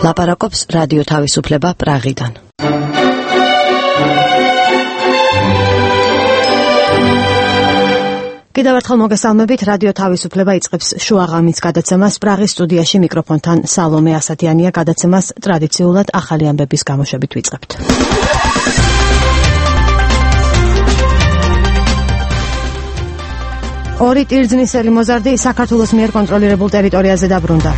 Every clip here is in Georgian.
ლაპარაკობს რადიო თავისუფლება პრაღიდან. კიდევ ერთხელ მოგესალმებით, რადიო თავისუფლება იწყებს შუაღამის გადაცემას. პრაღის სტუდიაში მიკროფონთან სალომე ასათიანია. გადაცემას ტრადიციულად ახალი ამბების გამოშვებით ვიწყებთ. ორი ტირძნისელი მოზარდი საქართველოს მიერ კონტროლირებულ ტერიტორიაზე დაბრუნდა.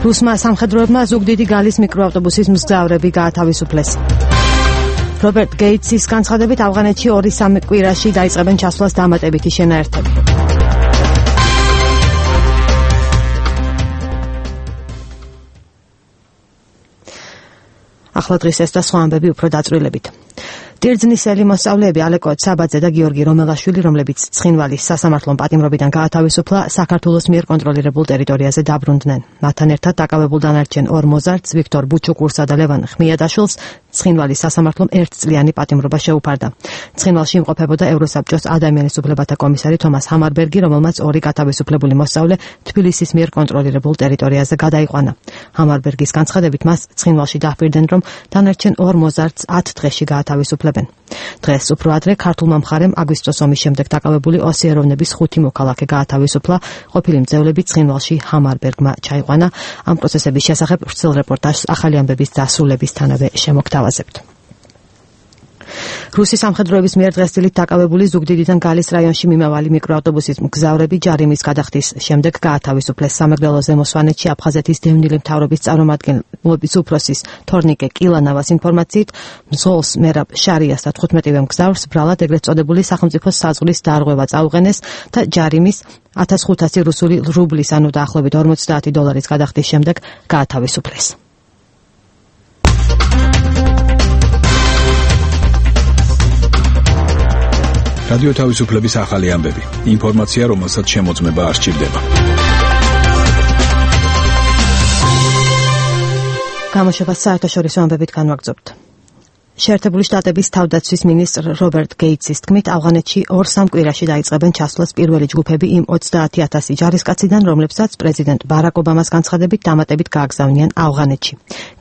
რუსმა სამხედროებმა ზუგდიდი გალის მიკროავტობუსის მგზავრები გაათავისუფლეს. რობერტ გეიტსის განცხადებით ავღანეთში 2-3 კვირაში დაიწყებენ ჩასვლას დამატებითი შენაერთები. ახლა დღის ეს და სხვა ამბები უფრო დაწვრილებით. ტირძნისელი მოსწავლეები ალეკო ცაბაძე და გიორგი რომელაშვილი, რომლებიც ცხინვალის სასამართლომ პატიმრობიდან გაათავისუფლა, საქართველოს მიერ კონტროლირებულ ტერიტორიაზე დაბრუნდნენ. მათთან ერთად დაკავებულ დანარჩენ 2 მოზარდს, ვიქტორ ბუჩუკურსა და ლევან ხმიადაშვილს, ცხინვალის სასამართლომ 1 წლიანი პატიმრობა შეუფარდა. ცხინვალში იმყოფებოდა ევროსაბჭოს ადამიანის უფლებათა კომისარი თომას ჰამარბერგი, რომელმაც 2 გათავისუფლებული მოსწავლე თბილისის მიერ კონტროლირებულ ტერიტორიაზე გადაიყვანა. ჰამარბერგის განცხადებით მას ცხინვალში დაჰპირდნენ, რომ დანარჩენ 2 მოზარდს 10 დღეში გაათავისუფლებენ. დღეს უფრო ადრე ქართულმა მხარემ აგვისტოს ომის შემდეგ დაკავებული ოსიეროვნების 5 მოქალაქე გაათავისუფლა. ყოფილი მძევლები ცხინვალში ჰამარბერგმა ჩაიყვანა. ამ პროცესების შესახებ ვრცელ რეპორტაჟს ახალი ამბების დასრულებისთანავე შემოგთავაზებთ. რუსი სამხედროების მიერ დღესდილით დაკავებული ზუგდიდიდან გალის რაიონში მიმავალი მიკროავტობუსის მგზავრები ჯარიმის გადახდის შემდეგ გაათავისუფლეს. სამეგრელო ზემო სვანეთში აფხაზეთის დევნილი მთავრობის წარმომადგენლობის უფროსის თორნიკე კილანავას ინფორმაციით, მძღოლს მერაბ შარიას და 15-ვე მგზავრს ბრალად ეგრეთ წოდებული სახელმწიფო საზღვრის დარღვევა წაუყენეს და ჯარიმის 1500 რუსული რუბლის, ანუ დაახლოებით $50 გადახდის შემდეგ გაათავისუფლეს. რადიო თავისუფლების ახალი ამბები. ინფორმაცია, რომელსაც შემოწმება არ სჭირდება. გამოშვებას საერთაშორისო ამბებით განვაგრძობთ. შეერთებული შტატების თავდაცვის მინისტრ რობერტ გეიტსის თქმით, ავღანეთში 2-3 კვირაში დაიწყებენ ჩასვლას პირველი ჯგუფები იმ 30,000 ჯარისკაციდან, რომლებსაც პრეზიდენტ ბარაკ ობამას განცხადებით დამატებით გააგზავნიან ავღანეთში.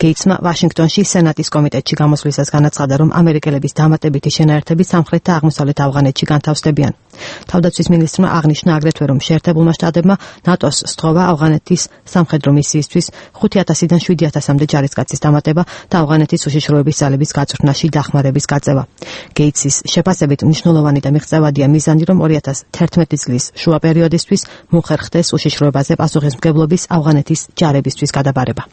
გეიტსმა ვაშინგტონში სენატის კომიტეტში გამოსვლისას განაცხადა, რომ ამერიკელების დამატებითი შენაერთები სამხრეთ და აღმოსავლეთ ავღანეთში განთავსდებიან. თავდაცვის მინისტრმა აღნიშნა აგრეთვე, რომ შეერთებულმა შტატებმა ნატოს სთხოვა ავღანეთის სამხედრო მისიისთვის 5,000-დან 7,000-მდე ჯარისკაცის დამატება და ავღანეთის უშიშროების ძალების გაწვრთნაში დახმარების გაწევა. გეიტსის შეფასებით მნიშვნელოვანი და მიღწევადია მიზანი, რომ 2011 წლის შუა პერიოდისთვის მოხერხდეს უშიშროებაზე პასუხისმგებლობის ავღანეთის ჯარებისთვის გადაბარება.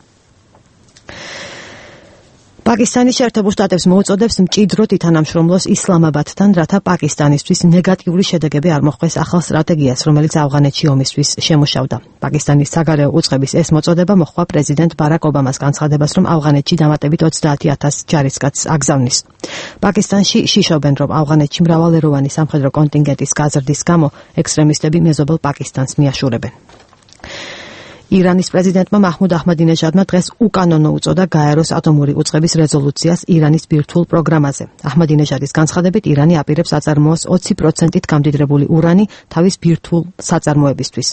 პაკისტანი შეერთებულ შტატებს მოუწოდებს მჭიდროდ ითანამშრომლოს ისლამაბადთან, რათა პაკისტანისთვის ნეგატიური შედეგები არ მოხვდეს ახალ სტრატეგიას, რომელიც ავღანეთში ომისთვის შემუშავდა. პაკისტანის საგარეო უწყების ეს მოწოდება მოჰყვა პრეზიდენტ ბარაკ ობამას განცხადებას, რომ ავღანეთში დამატებით 30,000 ჯარისკაცს აგზავნის. პაკისტანში შიშობენ, რომ ავღანეთში მრავალეროვანი სამხედრო კონტინგენტის გაზრდის გამო ექსტრემისტები მეზობელ პაკისტანს მიაშურებენ. ირანის პრეზიდენტმა მაჰმუდ აჰმადინეჟადმა დღეს უკანონო უწოდა გაეროს ატომური უწყების რეზოლუციას ირანის ბირთვულ პროგრამაზე. აჰმადინეჟადის განცხადებით, ირანი აპირებს აწარმოოს 20%-ით გამდიდრებული ურანი თავის ბირთვულ საწარმოებისთვის.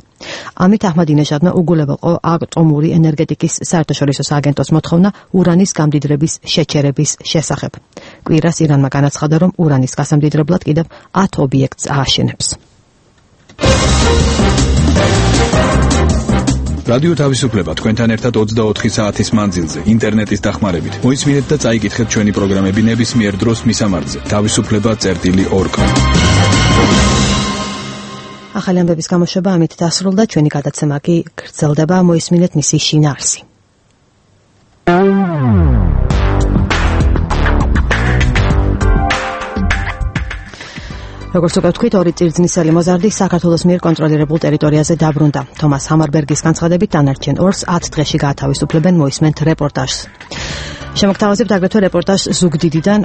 ამით აჰმადინეჟადმა უგულებელყო ატომური ენერგეტიკის საერთაშორისო სააგენტოს მოთხოვნა ურანის გამდიდრების შეჩერების შესახებ. კვირას ირანმა განაცხადა, რომ ურანის გასამდიდრებლად კიდევ 10 ობიექტს ააშენებს. რადიო თავისუფლება თქვენთან ერთად 24 საათის მანძილზე ინტერნეტის დახმარებით. მოისმინეთ და წაიკითხეთ ჩვენი პროგრამები ნებისმიერ დროს მისამართზე. თავისუფლება.org. ახალი ამბების გამოშვება ამით დასრულდა. ჩვენი გადაცემა კი გრძელდება. მოისმინეთ მისი შინაარსი. როგორც უკვე ვთქვით, 2 ტირძნისელი მოზარდი საქართველოს მიერ კონტროლირებულ ტერიტორიაზე დაბრუნდა. თომას ჰამარბერგის განცხადებით დანარჩენ 2-ს 10 დღეში გაათავისუფლებენ. მოისმენთ რეპორტაჟს. შემოგთავაზებთ აგრეთვე რეპორტაჟს ზუგდიდიდან.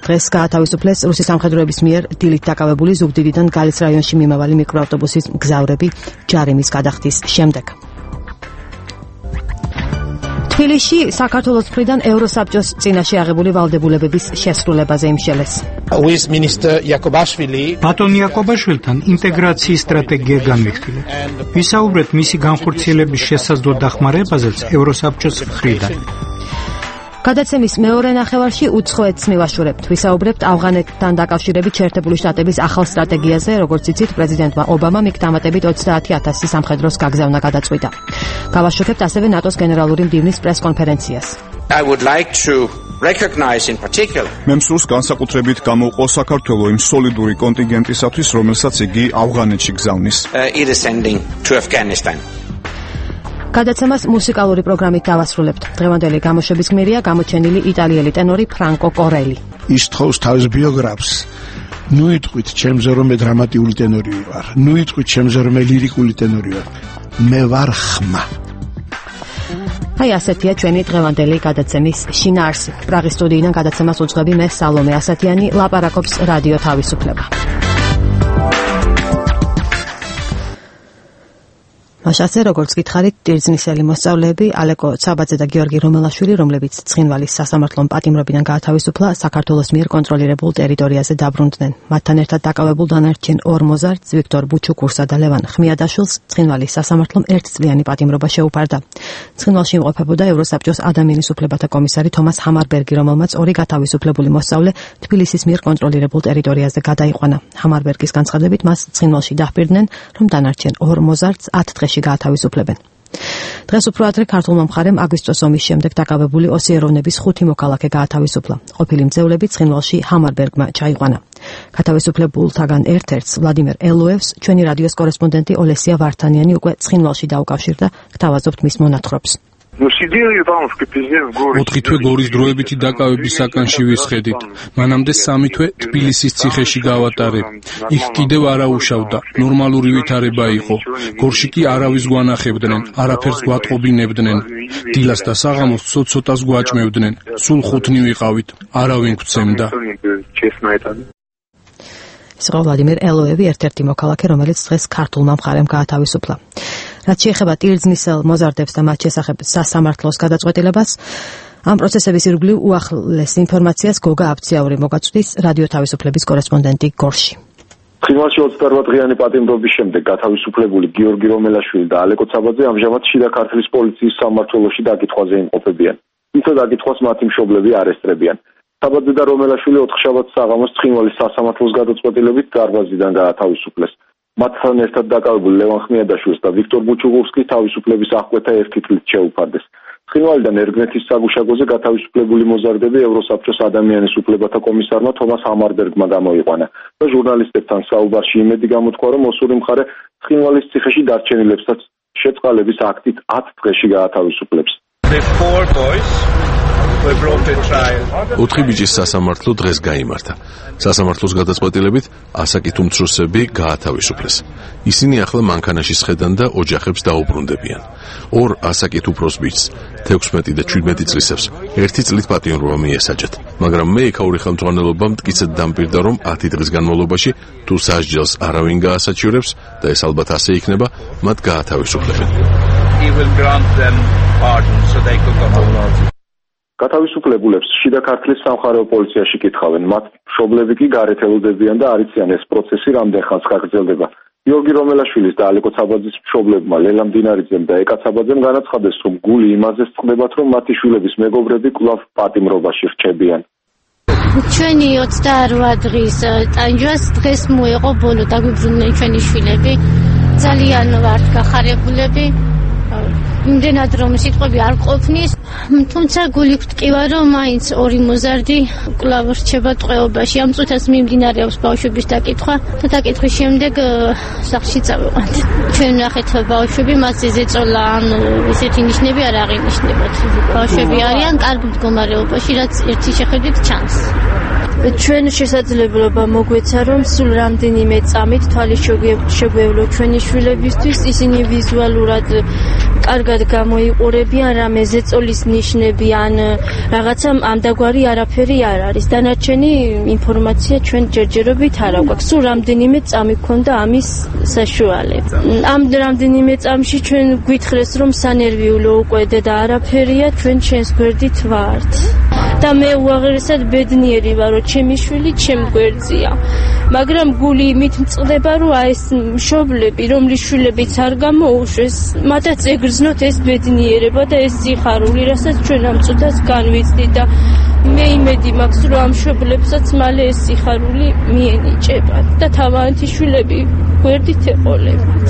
დღეს გაათავისუფლეს რუსი სამხედროების მიერ დილით დაკავებული ზუგდიდიდან გალის რაიონში მიმავალი მიკროავტობუსის მგზავრები ჯარიმის გადახდის შემდეგ. თბილისში საქართველოს მხრიდან ევროსაბჭოს წინაშე აღებული ვალდებულებების შესრულებაზე იმშელეს. ბატონ იაკობაშვილთან ინტეგრაციის სტრატეგია განვიხილეთ. ვისაუბრეთ მისი განხორციელების შესაძლო დახმარებაზეც ევროსაბჭოს მხრიდან. გადაცემის მეორე ნახევარში უცხოეთს მივაშურებთ. ვისაუბრებთ ავღანეთთან დაკავშირებით შეერთებული შტატების ახალ სტრატეგიაზე, როგორც იცით, პრეზიდენტმა ობამამ იქ დამატებით 30,000 სამხედროს გაგზავნა გადაწყვიტა. გავაშუქებთ ასევე ნატოს გენერალური მდივნის პრესკონფერენციას. I would like to recognize in particular. მე მსურს განსაკუთრებით გამოვყო საქართველოს იმ სოლიდური კონტინგენტისათვის, რომელსაც იგი ავღანეთში გზავნის. It is sending to Afghanistan. გადაცემას მუსიკალური პროგრამით დავასრულებთ. დღევანდელი გამოშვების გმირია გამოჩენილი იტალიელი ტენორი ფრანკო კორელი. ის თხოვს თავის ბიოგრაფს. ნუ იტყვით ჩემზე რომ მე დრამატიული ტენორი ვარ. ნუ იტყვით ჩემზე რომ მე ლირიკული ტენორი ვარ. მე ვარ ხმა. აი ასეთია ჩვენი დღევანდელი გადაცემის შინაარსი. პრაღის სტუდიიდან გადაცემას უძღვები მე სალომე ასათიანი, ლაპარაკობს რადიო თავისუფლება. მაშასე როგორც გითხარით, ტირზნისელი მოსწავლეები ალეკო ცაბაძე და გიორგი რომელაშვილი, რომლებიც ცხინვალის სასამართლომ პატიმრობიდან გაათავისუფლა, საქართველოს მიერ კონტროლირებულ ტერიტორიაზე დაბრუნდნენ. მათთან ერთად დაკავებულ დანარჩენ ორ მოზარდს, ვიქტორ ბუჩუკურსა და ლევან ხმიადაშვილს, ცხინვალის სასამართლომ ერთწლიანი პატიმრობა შეუფარდა. ცხინვალში იმყოფებოდა ევროსაბჭოს ადამიანის უფლებათა კომისარი თომას ჰამარბერგი, რომელმაც ორი გათავისუფლებული მოსწავლე თბილისის მიერ კონტროლირებულ ტერიტორიაზე გადაიყვანა. ჰამარბერგის განცხადებით მას ცხინვალში დაჰპირდნენ, რომ დანარჩენ ორ მოზარდს 10 დღეში გაათავისუფლებენ. დღეს უფრო ადრე ქართულმა მხარემ აგვისტოს ომის შემდეგ დაკავებული ოსიეროვნების 5 მოქალაქე გაათავისუფლა. ყოფილი მძევლები ცხინვალში ჰამარბერგმა ჩაიყვანა. გათავისუფლებულთაგან ერთ-ერთს ვლადიმერ ელოევს ჩვენი რადიოს კორესპონდენტი ოლესია ვართანიანი უკვე ცხინვალში დაუკავშირდა. გთავაზობთ მის მონათხრობს. 4 თვე გორის დროებითი დაკავების საკანში ვისხედით. მანამდე 3 თვე თბილისის ციხეში გავატარე. იქ კიდევ არა უშავდა. ნორმალური ვითარება იყო. გორში კი არავის გვანახებდნენ, არაფერს გვატყობინებდნენ. დილას და საღამოს ცოტ-ცოტას გვაჭმევდნენ. სულ 5 ვიყავით. არავინ გვცემდა. ის ვლადიმერ ელოევი ერთ-ერთი მოქალაქე, რომელიც დღეს ქართულმა მხარემ გაათავისუფლა. რაც შეეხება ტირზნისელ მოზარდებს და მათ შესახებ სასამართლოს გადაწყვეტილებას, ამ პროცესების ირგვლივ უახლეს ინფორმაციას გოგა აფციაური მოგაწვდის რადიო თავისუფლების კორესპონდენტი გორში. ცხინვალში 28 დღიანი პატიმრობის შემდეგ გათავისუფლებული გიორგი რომელაშვილი და ალეკო ცაბაძე ამჟამად შიდა ქართლის პოლიციის სამმართველოში დაკითხვაზე იმყოფებიან. თუმცა დაკითხვას მათი მშობლები არესტრებიან. ცაბაძე და რომელაშვილი 4 შაბათს საღამოს ცხინვალის სასამართლოს გადაწყვეტილებით დარბაზიდან გაათავისუფლეს. მათთან ერთად დაკავებულ ლევან ხმიადაშვილს და ვიქტორ ბუჩუკურსკის თავისუფლების აღკვეთა ერთი თვლით შეუფარდეს. ცხინვალიდან ერგნეთის საგუშაგოზე გათავისუფლებული მოზარდები ევროსაბჭოს ადამიანის უფლებათა კომისარმა თომას ჰამარბერგმა გამოიყვანა და ჟურნალისტებთან საუბარში იმედი გამოთქვა, რომ ოსური მხარე ცხინვალის ციხეში დარჩენილებსაც შეწყალების აქტით 10 დღეში გაათავისუფლებს. 4 ბიჭის სასამართლო დღეს გაიმართა. სასამართლოს გადაწყვეტილებით ასაკით უმცროსები გაათავისუფლეს. ისინი ახლა მანქანაში სხედან და ოჯახებს დაუბრუნდებიან. ორ ასაკით უფროს ბიჭს, 16 და 17 წლისებს, 1 წლით პატიმრობა მიესაჯათ. მაგრამ მე იქაური ხელმძღვანელობა მტკიცედ დამპირდა, რომ 10 დღის განმავლობაში თუ სასჯელს არავინ გაასაჩივრებს და ეს ალბათ ასე იქნება, მათ გაათავისუფლებენ. გათავისუფლებულებს შიდა ქართლის სამხარეო პოლიციაში კითხავენ, მათ მშობლები კი გარეთ ელოდებიან და არ იციან ეს პროცესი რამდენ ხანს გაგრძელდება. გიორგი რომელაშვილის და ალეკო ცაბაძის მშობლებმა ლელა მდინარიძემ და ეკა ცაბაძემ განაცხადეს, რომ გული იმაზე წყდებათ, რომ მათი შვილების მეგობრები კვლავ პატიმრობაში რჩებიან. ჩვენი 28 დღის ტანჯვას დღეს მოეყო ბოლო, დაგვიბრუნდნენ ჩვენი შვილები. ძალიან ვართ გახარებულები. იმდენად რომ სიტყვები არ ყოფნის, თუმცა გული გვტკივა, რომ მაინც ორი მოზარდი კვლავ რჩება ტყვეობაში. ამ წუთას მიმდინარეობს ბავშვების დაკითხვა და დაკითხვის შემდეგ სახლში წავიყვანთ. ჩვენ ნახეთ ბავშვები, მასზე ზეწოლა ან ესეთი ნიშნები არ აღინიშნებათ. ბავშვები არიან კარგ მდგომარეობაში, რაც ერთი შეხედვით ჩანს. ჩვენ შესაძლებლობა მოგვეცა, რომ სულ რამდენიმე წამით თვალის შეგვევლო ჩვენი შვილებისთვის, ისინი ვიზუალურად კარგად გამოიყურებიან, რამე ზეწოლის ნიშნები ან რაღაცა ამდაგვარი არაფერი არ არის. დანარჩენი ინფორმაცია ჩვენ ჯერჯერობით არ აქვს. სულ რამდენიმე წამი გქონდა ამის საშუალება. ამ რამდენიმე წამში ჩვენ გვითხრეს, რომ სანერვიულო უკვე და არაფერია, ჩვენ ჩვენს გვერდით ვართ. და მე უაღრესად ბედნიერი ვარ, რომ ჩემი შვილი ჩემ გვერდზეა. მაგრამ გული იმით მწყდება, რომ აი ეს მშობლები, რომლის შვილებიც არ გამოუშვეს, მათაც ეგრძნოთ ეს ბედნიერება და ეს სიხარული, რასაც ჩვენ ამ წუთას განვიცდით და მე იმედი მაქვს, რომ ამ მშობლებსაც მალე ეს სიხარული მიენიჭებათ და თავიანთი შვილები გვერდით ეყოლებათ.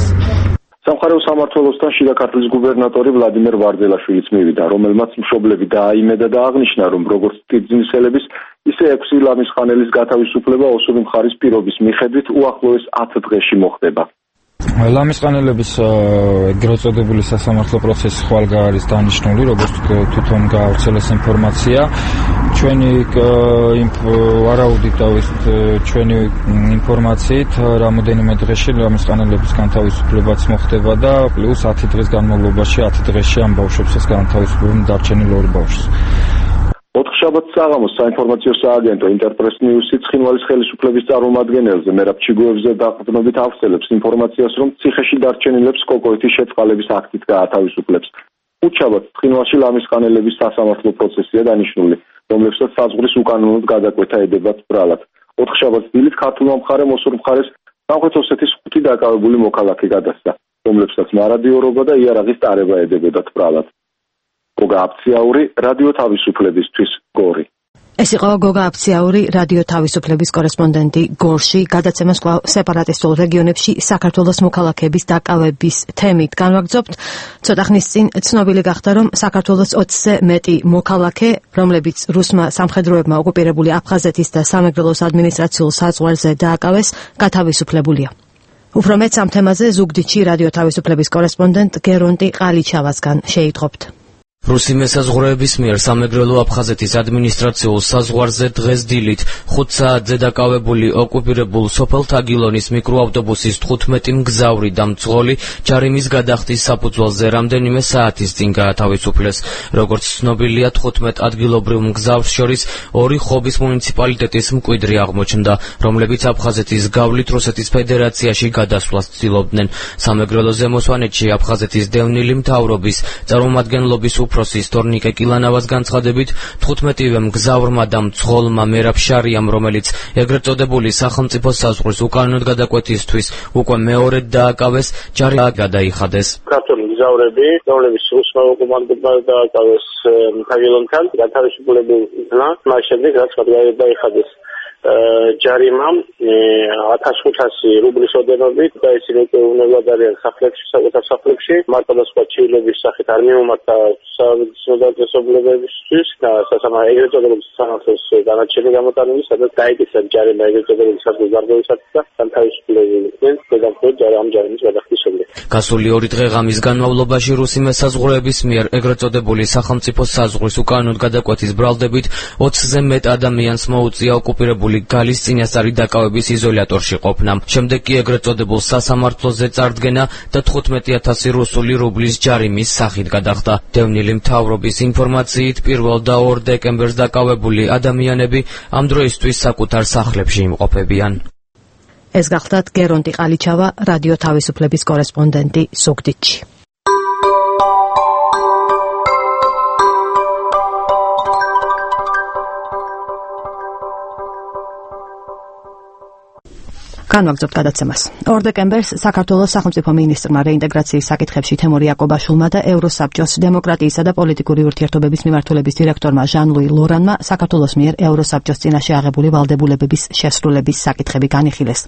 სამხარეო სამმართველოსთან შიდა ქართლის გუბერნატორი ვლადიმერ ვარძელაშვილიც მივიდა, რომელმაც მშობლები დააიმედა და აღნიშნა, რომ როგორც ტიბძინსელების, ისე 6 ლამისხანელის გათავისუფლება ოსური მხარის პირობის მიხედვით უახლოეს 10 დღეში მოხდება. ლამისყანელების ეგრეთ წოდებული სასამართლო პროცესი ხვალგა არის დანიშნული, როგორც თვითონ გაავრცელეს ინფორმაცია. ჩვენი ვარაუდით ჩვენი ინფორმაციით რამოდენიმე დღეში ლამისყანელების განთავისუფლებაც მოხდება და პლუს 10 დღის განმავლობაში 10 დღეში ამ ბავშვებსაც განთავისუფლებენ დარჩენილ 2 ბავშვს. ოთხშაბათს საღამოს საინფორმაციო სააგენტო ინტერპრეს ნიუსი ცხინვალის ხელისუფლების წარმომადგენელზე მერაბ ჩიგოევზე დაყრდნობით ავრცელებს ინფორმაციას, რომ ციხეში დარჩენილებს კოკოეთის შეწყალების აქტით გაათავისუფლებს. ხუთშაბათს ცხინვალში ლამისყანელების სასამართლო პროცესია დანიშნული, რომლებსაც საზღვრის უკანონოდ გადაკვეთა ედებათ ბრალად. ოთხშაბათს დილით ქართულმა მხარემ ოსურ მხარეს სამხრეთ ოსეთის 5 დაკავებული მოქალაქე გადასცა, რომლებსაც მარადიორობა და იარაღის ტარება ედებოდათ ბრალად. გოგა აფციაური, რადიო თავისუფლებისთვის, გორი. ეს იყო გოგა აფციაური, რადიო თავისუფლების კორესპონდენტი გორში. გადაცემას კვლავ სეპარატისტულ რეგიონებში საქართველოს მოქალაქეების დაკავების თემით განვაგრძობთ. ცოტა ხნის წინ ცნობილი გახდა, რომ საქართველოს 20-ზე მეტი მოქალაქე, რომლებიც რუსმა სამხედროებმა ოკუპირებული აფხაზეთის და სამეგრელოს ადმინისტრაციულ საზღვარზე დააკავეს, გათავისუფლებულია. უფრო მეტ ამ თემაზე ზუგდიდში რადიო თავისუფლების კორესპონდენტ გერონტი ყალიჩავასგან შეიტყობთ. რუსი მესაზღვრეების მიერ სამეგრელო აფხაზეთის ადმინისტრაციულ საზღვარზე დღეს დილით 5 საათზე დაკავებული ოკუპირებულ სოფელ თაგილონის მიკროავტობუსის 15 მგზავრი და მძღოლი ჯარიმის გადახდის საფუძველზე რამდენიმე საათის წინ გაათავისუფლეს. როგორც ცნობილია, 15 ადგილობრივ მგზავრს შორის 2 ხობის მუნიციპალიტეტის მკვიდრი აღმოჩნდა, რომლებიც აფხაზეთის გავლით რუსეთის ფედერაციაში გადასვლას ცდილობდნენ. სამეგრელო ზემოსვანეთში აფხაზეთის დევნილი მთავრობის წარმომადგენლობის უფროსის თორნიკე კილანავას განცხადებით 15-ვე მგზავრმა და მძღოლმა მერაბ შარიამ, რომელიც ეგრეთ წოდებული სახელმწიფო საზღვრის უკანონოდ გადაკვეთისთვის უკვე მეორედ დააკავეს, ჯარი გადაიხადეს. ქართული მგზავრები, რომლებიც რუსმა ოკუპანტებმა დააკავეს თაგილონთან, გათავისუფლებულა, მას შემდეგ რაც გადაიხადეს ჯარიმა 1500 რუბლის ოდენობით და ისინი უვნებლად არიან სახლებში, საკუთარ სახლებში, მარტო და სხვა ჩივლების სახით არ მიმართა საზოგადოებისთვის და ეგრეთ წოდებული სასამართლოს განაჩენი გამოტანილი, სადაც გაიკეთა ჯარიმა ეგრეთ წოდებული საზღვრის გარკვევისათვის და განთავისუფლებულიყვნენ დედამხედ ამ ჯარიმის გადახდის შემდეგ. გასული 2 დღე ღამის განმავლობაში რუსი მესაზღვრეების მიერ ეგრეთ წოდებული სახელმწიფო საზღვრის უკანონოდ გადაკვეთის ბრალდებით 20-ზე მეტ ადამიანს მოუწია ოკუპირებული გალის წინასწარი დაკავების იზოლატორში ყოფნა. შემდეგ კი ეგრეთ წოდებულ სასამართლოზე წარდგენა და 15,000 რუსული რუბლის ჯარიმის სახით გადახდა. დევნილი მთავრობის ინფორმაციით 1 და 2 დეკემბერს დაკავებული ადამიანები ამ დროისთვის საკუთარ სახლებში იმყოფებიან. ეს გახლდათ გერონტი ყალიჩავა, რადიო თავისუფლების კორესპონდენტი ზუგდიდში. განვაგრძობთ გადაცემას. 2 დეკემბერს საქართველოს სახელმწიფო მინისტრმა რეინტეგრაციის საკითხებში თემურ იაკობაშვილმა და ევროსაბჭოს დემოკრატიისა და პოლიტიკური ურთიერთობების მიმართულების დირექტორმა ჟან-ლუი ლორანმა საქართველოს მიერ ევროსაბჭოს წინაშე აღებული ვალდებულებების შესრულების საკითხები განიხილეს.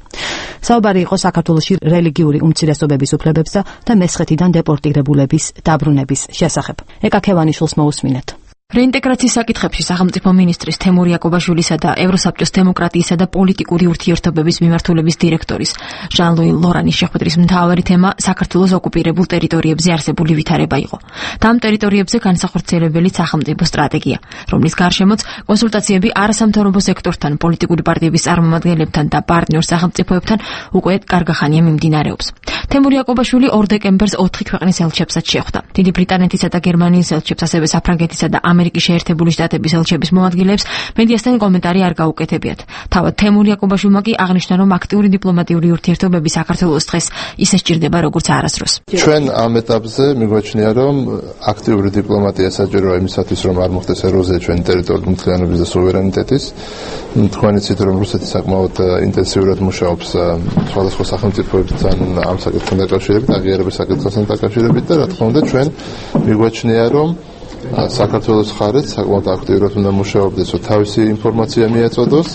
საუბარი იყო საქართველოში რელიგიური უმცირესობების უფლებებსა და მესხეთიდან დეპორტირებულების დაბრუნების შესახებ. ეკა ქევანიშვილს მოусმინეთ. რეინტეგრაციის საკითხებში სახელმწიფო მინისტრის თემურ იაკობაშვილისა და ევროსაბჭოს დემოკრატიისა და პოლიტიკური ურთიერთობების მიმართულების დირექტორის ჟან-ლუი ლორანის შეხვედრის მთავარი თემა საქართველოს ოკუპირებულ ტერიტორიებზე არსებული ვითარება იყო. და ამ ტერიტორიებზე განსახორციელებელი სახელმწიფო სტრატეგია, რომლის გარშემოც კონსულტაციები არასამთავრობო სექტორთან, პოლიტიკური პარტიების წარმომადგენლებთან და პარტნიორ სახელმწიფოებთან უკვე კარგა ხანია მიმდინარეობს. თემურ იაკობაშვილი 2 დეკემბერს 4 ქვეყნის ელჩებსაც შეხვდა. დიდი ბრიტანეთისა და გერმანიის ელჩებს, ასევე საფრანგეთისა და ამერიკის შეერთებული შტატების ელჩების მოადგილეებს მედიასთან კომენტარი არ გაუკეთებიათ. თავად თემურ იაკობაშვილმა კი აღნიშნა, რომ აქტიური დიპლომატიური ურთიერთობები საქართველოს დღეს ისე სჭირდება, როგორც არასდროს. ჩვენ ამ ეტაპზე მიგვაჩნია, რომ აქტიური დიპლომატია საჭიროა იმისათვის, რომ არ მოხდეს ეროზია ჩვენი ტერიტორიული მთლიანობის და სუვერენიტეტის. თქვენ იცით, რომ რუსეთი საკმაოდ ინტენსიურად მუშაობს სხვადასხვა სახელმწიფოებთან ამ საკითხთან დაკავშირებით, აღიარების საკითხთან დაკავშირებით და რა თქმა უნდა ჩვენ მიგვაჩნია, რომ საქართველოს ხარეთ საკმაოდ აქტიურად უნდა მუშაობდეს, რომ თავისი ინფორმაცია მიეწოდოს,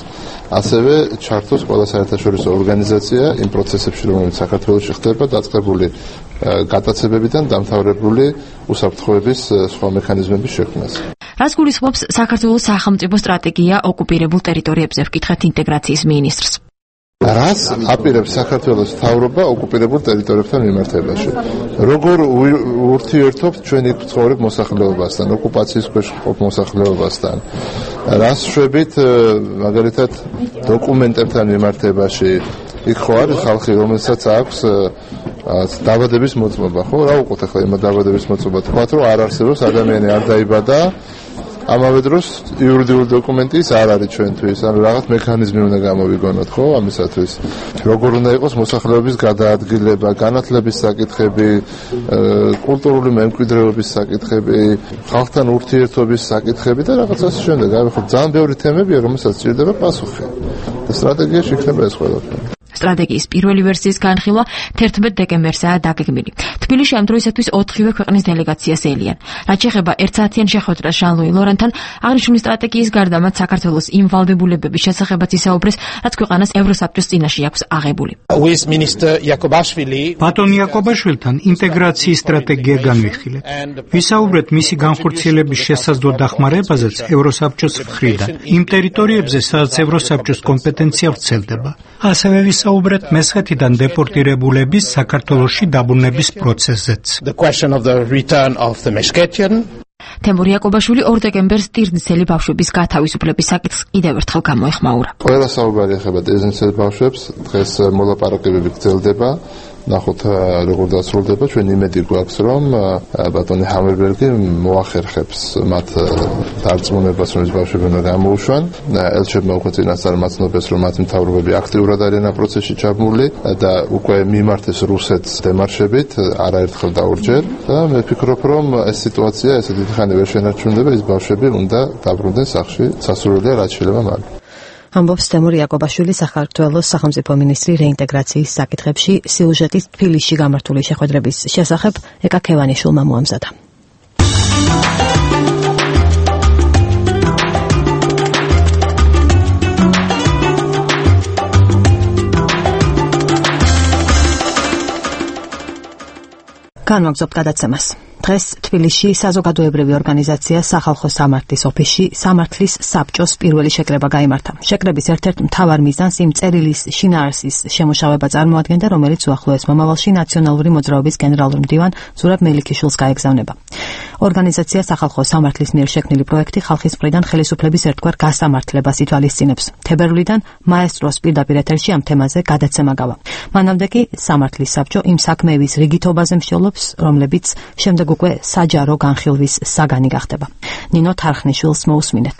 ასევე ჩართოს ყველა საერთაშორისო ორგანიზაცია იმ პროცესებში, რომელიც საქართველოში ხდება, დაწყებული გატაცებებიდან დამთავრებული უსაფრთხოების სხვა მექანიზმების შექმნას. რას გულისხმობს საქართველოს სახელმწიფო სტრატეგია ოკუპირებულ ტერიტორიებზე, ვკითხეთ ინტეგრაციის მინისტრს. რას აპირებს საქართველოს მთავრობა ოკუპირებულ ტერიტორიებთან მიმართებაში? როგორ ურთიერთობთ ჩვენი ცხოვრებ მოსახლეობასთან, ოკუპაციის ქვეშ მყოფ მოსახლეობასთან? რას შვებით მაგალითად დოკუმენტებთან მიმართებაში? იქ ხო არის ხალხი, რომელსაც აქვს დაბადების მოწმობა, ხო? რა უყოთ ახლა იმ დაბადების მოწმობა? თქვათ, რომ არ არსებობს, ადამიანი არ დაიბადა, ამავე დროს იურიდიული დოკუმენტი ის არ არის ჩვენთვის, ანუ რაღაც მექანიზმი უნდა გამოვიგონოთ, ხო, ამისათვის. როგორ უნდა იყოს მოსახლეობის გადაადგილება, განათლების საკითხები, კულტურული მემკვიდრეობის საკითხები, ხალხთან ურთიერთობის საკითხები და რაღაცა შემდეგ. აი ხო, ძალიან ბევრი თემებია, რომელსაც სჭირდება პასუხი. და სტრატეგიაში იქნება ეს ყველაფერი. სტრატეგიის პირველი ვერსიის განხილვა 11 დეკემბერსაა დაგეგმილი. თბილისში ამ დროისათვის 4-ვე ქვეყნის დელეგაციას ელიან. რაც შეეხება 1 საათიან შეხვედრას ჟან-ლუი ლორანთან, აღნიშნული სტრატეგიის გარდა მათ საქართველოს იმ ვალდებულებების შესახებაც ისაუბრეს, რაც ქვეყანას ევროსაბჭოს წინაშე აქვს აღებული. ბატონ იაკობაშვილთან ინტეგრაციის სტრატეგია განვიხილეთ. ვისაუბრეთ მისი განხორციელების შესაძლო დახმარებაზეც ევროსაბჭოს მხრიდან, იმ ტერიტორიებზე, სადაც ევროსაბჭოს კომპეტენცია ვრცელდება. ასევე ვისაუბრეთ მესხეთიდან დეპორტირებულების საქართველოში დაბრუნების პროცესზეც. თემურ იაკობაშვილი 2 დეკემბერს ტირნისელი ბავშვების გათავისუფლების საკითხს კიდევ ერთხელ გამოეხმაურა. ყველა საუბარი ეხება ტირნისელ ბავშვებს, დღეს მოლაპარაკებები გრძელდება. ნახოთ როგორ დასრულდება, ჩვენ იმედი გვაქვს, რომ ბატონი ჰამერბერგი მოახერხებს მათ დარწმუნებას, რომ ეს ბავშვები უნდა გამოუშვან. ელჩებმა უკვე წინასწარ მაცნობას, რომ მათი მთავრობები აქტიურად არიან ამ პროცესში ჩაბმული და უკვე მიმართეს რუსეთს დემარშებით, არაერთხელ და ორჯერ. და მე ვფიქრობ, რომ ეს სიტუაცია ესე დიდი ხანი ვერ შენარჩუნდება, ეს ბავშვები უნდა დაბრუნდნენ სახლში, სასურველია რაც შეიძლება მალე. ამბობს თემურ იაკობაშვილი, საქართველოს სახელმწიფო მინისტრი რეინტეგრაციის საკითხებში. სიუჟეტის თბილისში გამართული შეხვედრების შესახებ ეკა ქევანიშვილმა მოამზადა. განვაგრძობთ გადაცემას. დღეს თბილისში საზოგადოებრივი ორგანიზაცია სახალხო სამართლის ოფისში სამართლის საბჭოს პირველი შეკრება გაიმართა. შეკრების ერთ-ერთ მთავარ მიზანს იმ წერილის შინაარსის შემუშავება წარმოადგენდა, რომელიც უახლოეს მომავალში ნაციონალური მოძრაობის გენერალურ მდივან ზურაბ მელიქიშვილს გაეგზავნება. ორგანიზაცია სახალხო სამართლის მიერ შექმნილი პროექტი ხალხის მხრიდან ხელისუფლების ერთგვარ გასამართლებას ითვალისწინებს. თებერვლიდან მაესტროს პირდაპირ ეთერში ამ თემაზე გადაცემა გავა. მანამდე კი სამართლის საბჭო იმ საქმეების რიგითობაზე მსჯელობს, რომლებიც შემდეგ უკვე საჯარო განხილვის საგანი გახდება. ნინო თარხნიშვილს მოусმინეთ.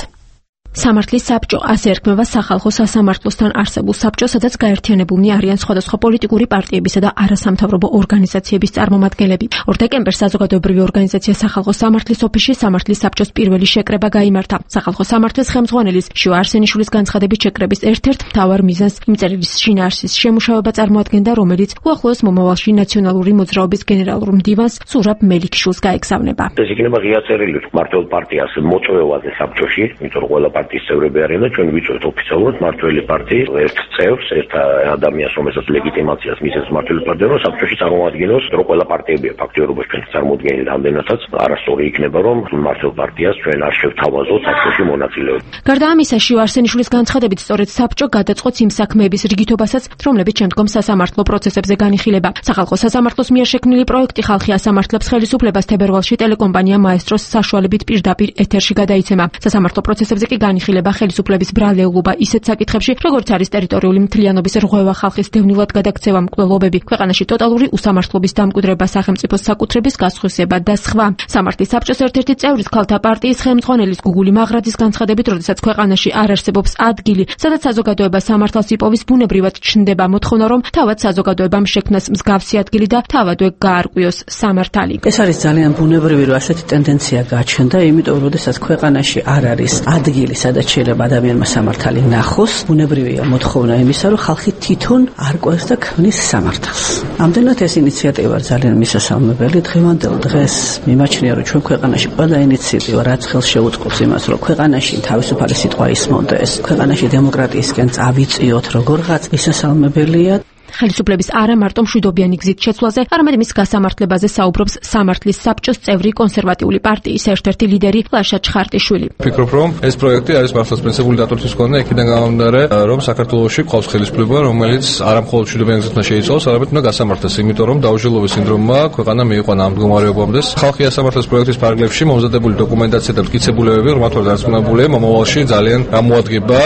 სამართლის საბჭო ასე ერქმევა სახალხო სასამართლოსთან არსებულ საბჭოს, სადაც გაერთიანებულნი არიან სხვადასხვა პოლიტიკური პარტიებისა და არასამთავრობო ორგანიზაციების წარმომადგენლები. 2 დეკემბერს საზოგადოებრივი ორგანიზაცია სახალხო სამართლის ოფისში სამართლის საბჭოს პირველი შეკრება გაიმართა. სახალხო სამართლის ხელმძღვანელის შივა არსენიშვილის განცხადებით შეკრების ერთ-ერთ მთავარ მიზანს იმ წერილის შინაარსის შემუშავება წარმოადგენდა, რომელიც უახლოეს მომავალში ნაციონალური მოძრაობის გენერალურ მდივანს ზურაბ მელიქიშვილს გაეგზავნება. ეს იქნება ღია წერილი მმართველ პარტიას მოწვევაზე საბჭოში, იმიტომ რომ ყველა პარტიის წევრები არიან და ჩვენ ვიწვევთ ოფიციალურად მმართველი პარტიის ერთ წევრს, ერთ ადამიანს, რომელსაც ლეგიტიმაციას მისცემს მმართველი პარტია, რომ საბჭოში წარმოადგენოს, რომ ყველა პარტიებია ფაქტიურობაში ჩვენ წარმოადგენთ ამდენადაც არასწორი იქნება, რომ მმართველ პარტიას ჩვენ არ შევთავაზოთ საბჭოში მონაწილეობა. გარდა ამისა, შივა არსენიშვილის განცხადებით, სწორედ საბჭო გადაწყვეტს იმ საქმეების რიგითობასაც, რომლებიც შემდგომ სასამართლო პროცესებზე განიხილება. სახალხო სასამართლოს მიერ შექმნილი პროექტი ხალხი ასამართლებს ხელისუფლებას თებერვალში ტელეკომპანია მაესტროს საშუალებით პირდაპირ ეთერში გადაიცემა. სასამართლო პროცესებზე კი განიხილება ხელისუფლების ბრალეულობა ისეთ საკითხებში, როგორც არის ტერიტორიული მთლიანობის რღვევა, ხალხის დევნილად გადაქცევა, მკვლელობები, ქვეყანაში ტოტალური უსამართლობის დამკვიდრება, სახელმწიფოს საკუთრების გასხვისება და სხვა. სამართლის საბჭოს ერთ-ერთი წევრის ქალთა პარტიის ხელმძღვანელის გუგული მაღრაძის განცხადებით, როდესაც ქვეყანაში არ არსებობს ადგილი, სადაც საზოგადოება სამართალს იპოვის, ბუნებრივად ჩნდება მოთხოვნა, რომ თავად საზოგადოებამ შექმნას მსგავსი ადგილი და თავადვე გაარკვიოს სამართალი. ეს არის ძალიან ბუნებრივი, რომ ასეთი ტენდენცია გაჩნდა, იმიტომ რომ შესაძლოა ქვეყანაში არ არის ადგილი, სადაც შეიძლება ადამიანმა სამართალი ნახოს, ბუნებრივია მოთხოვნა იმისა, რომ ხალხი თვითონ არკვევს და ქმნის სამართალს. ამდენად ეს ინიციატივა ძალიან მისასალმებელი. დღევანდელ დღეს მიმაჩნია, რომ ჩვენ ქვეყანაში ყველა ინიციატივა, რაც ხელს შეუწყობს იმას, რომ ქვეყანაში თავისუფალი სიტყვა ისმონდეს, ქვეყანაში დემოკრატიისკენ წავიწიოთ, როგორღაც მისასალმებელია. ხელისუფლების არა მარტო მშვიდობიანი გზით შეცვლაზე, არამედ მის გასამართლებაზე საუბრობს სამართლის საბჭოს წევრი კონსერვატიული პარტიის ერთ-ერთი ლიდერი ლაშა ჩხარტიშვილი. ვფიქრობ, რომ ეს პროექტი არის მართლაც პრინციპული დატვირთვის მქონე, იქიდან გამომდინარე, რომ საქართველოში ყავს ხელისუფლება, რომელიც არა მხოლოდ მშვიდობიანი გზით უნდა შეიცვალოს, არამედ უნდა გასამართლოს, იმიტომ რომ დაუჟილობის სინდრომმა ქვეყანა მიიყვანა ამ მდგომარეობამდე. ხალხი ასამართლოს პროექტის პარაგრაფში მომზადებული დოკუმენტაცია და მტკიცებულებები, რომელთაც დარწმუნებულია, მომავალში ძალიან გამოადგება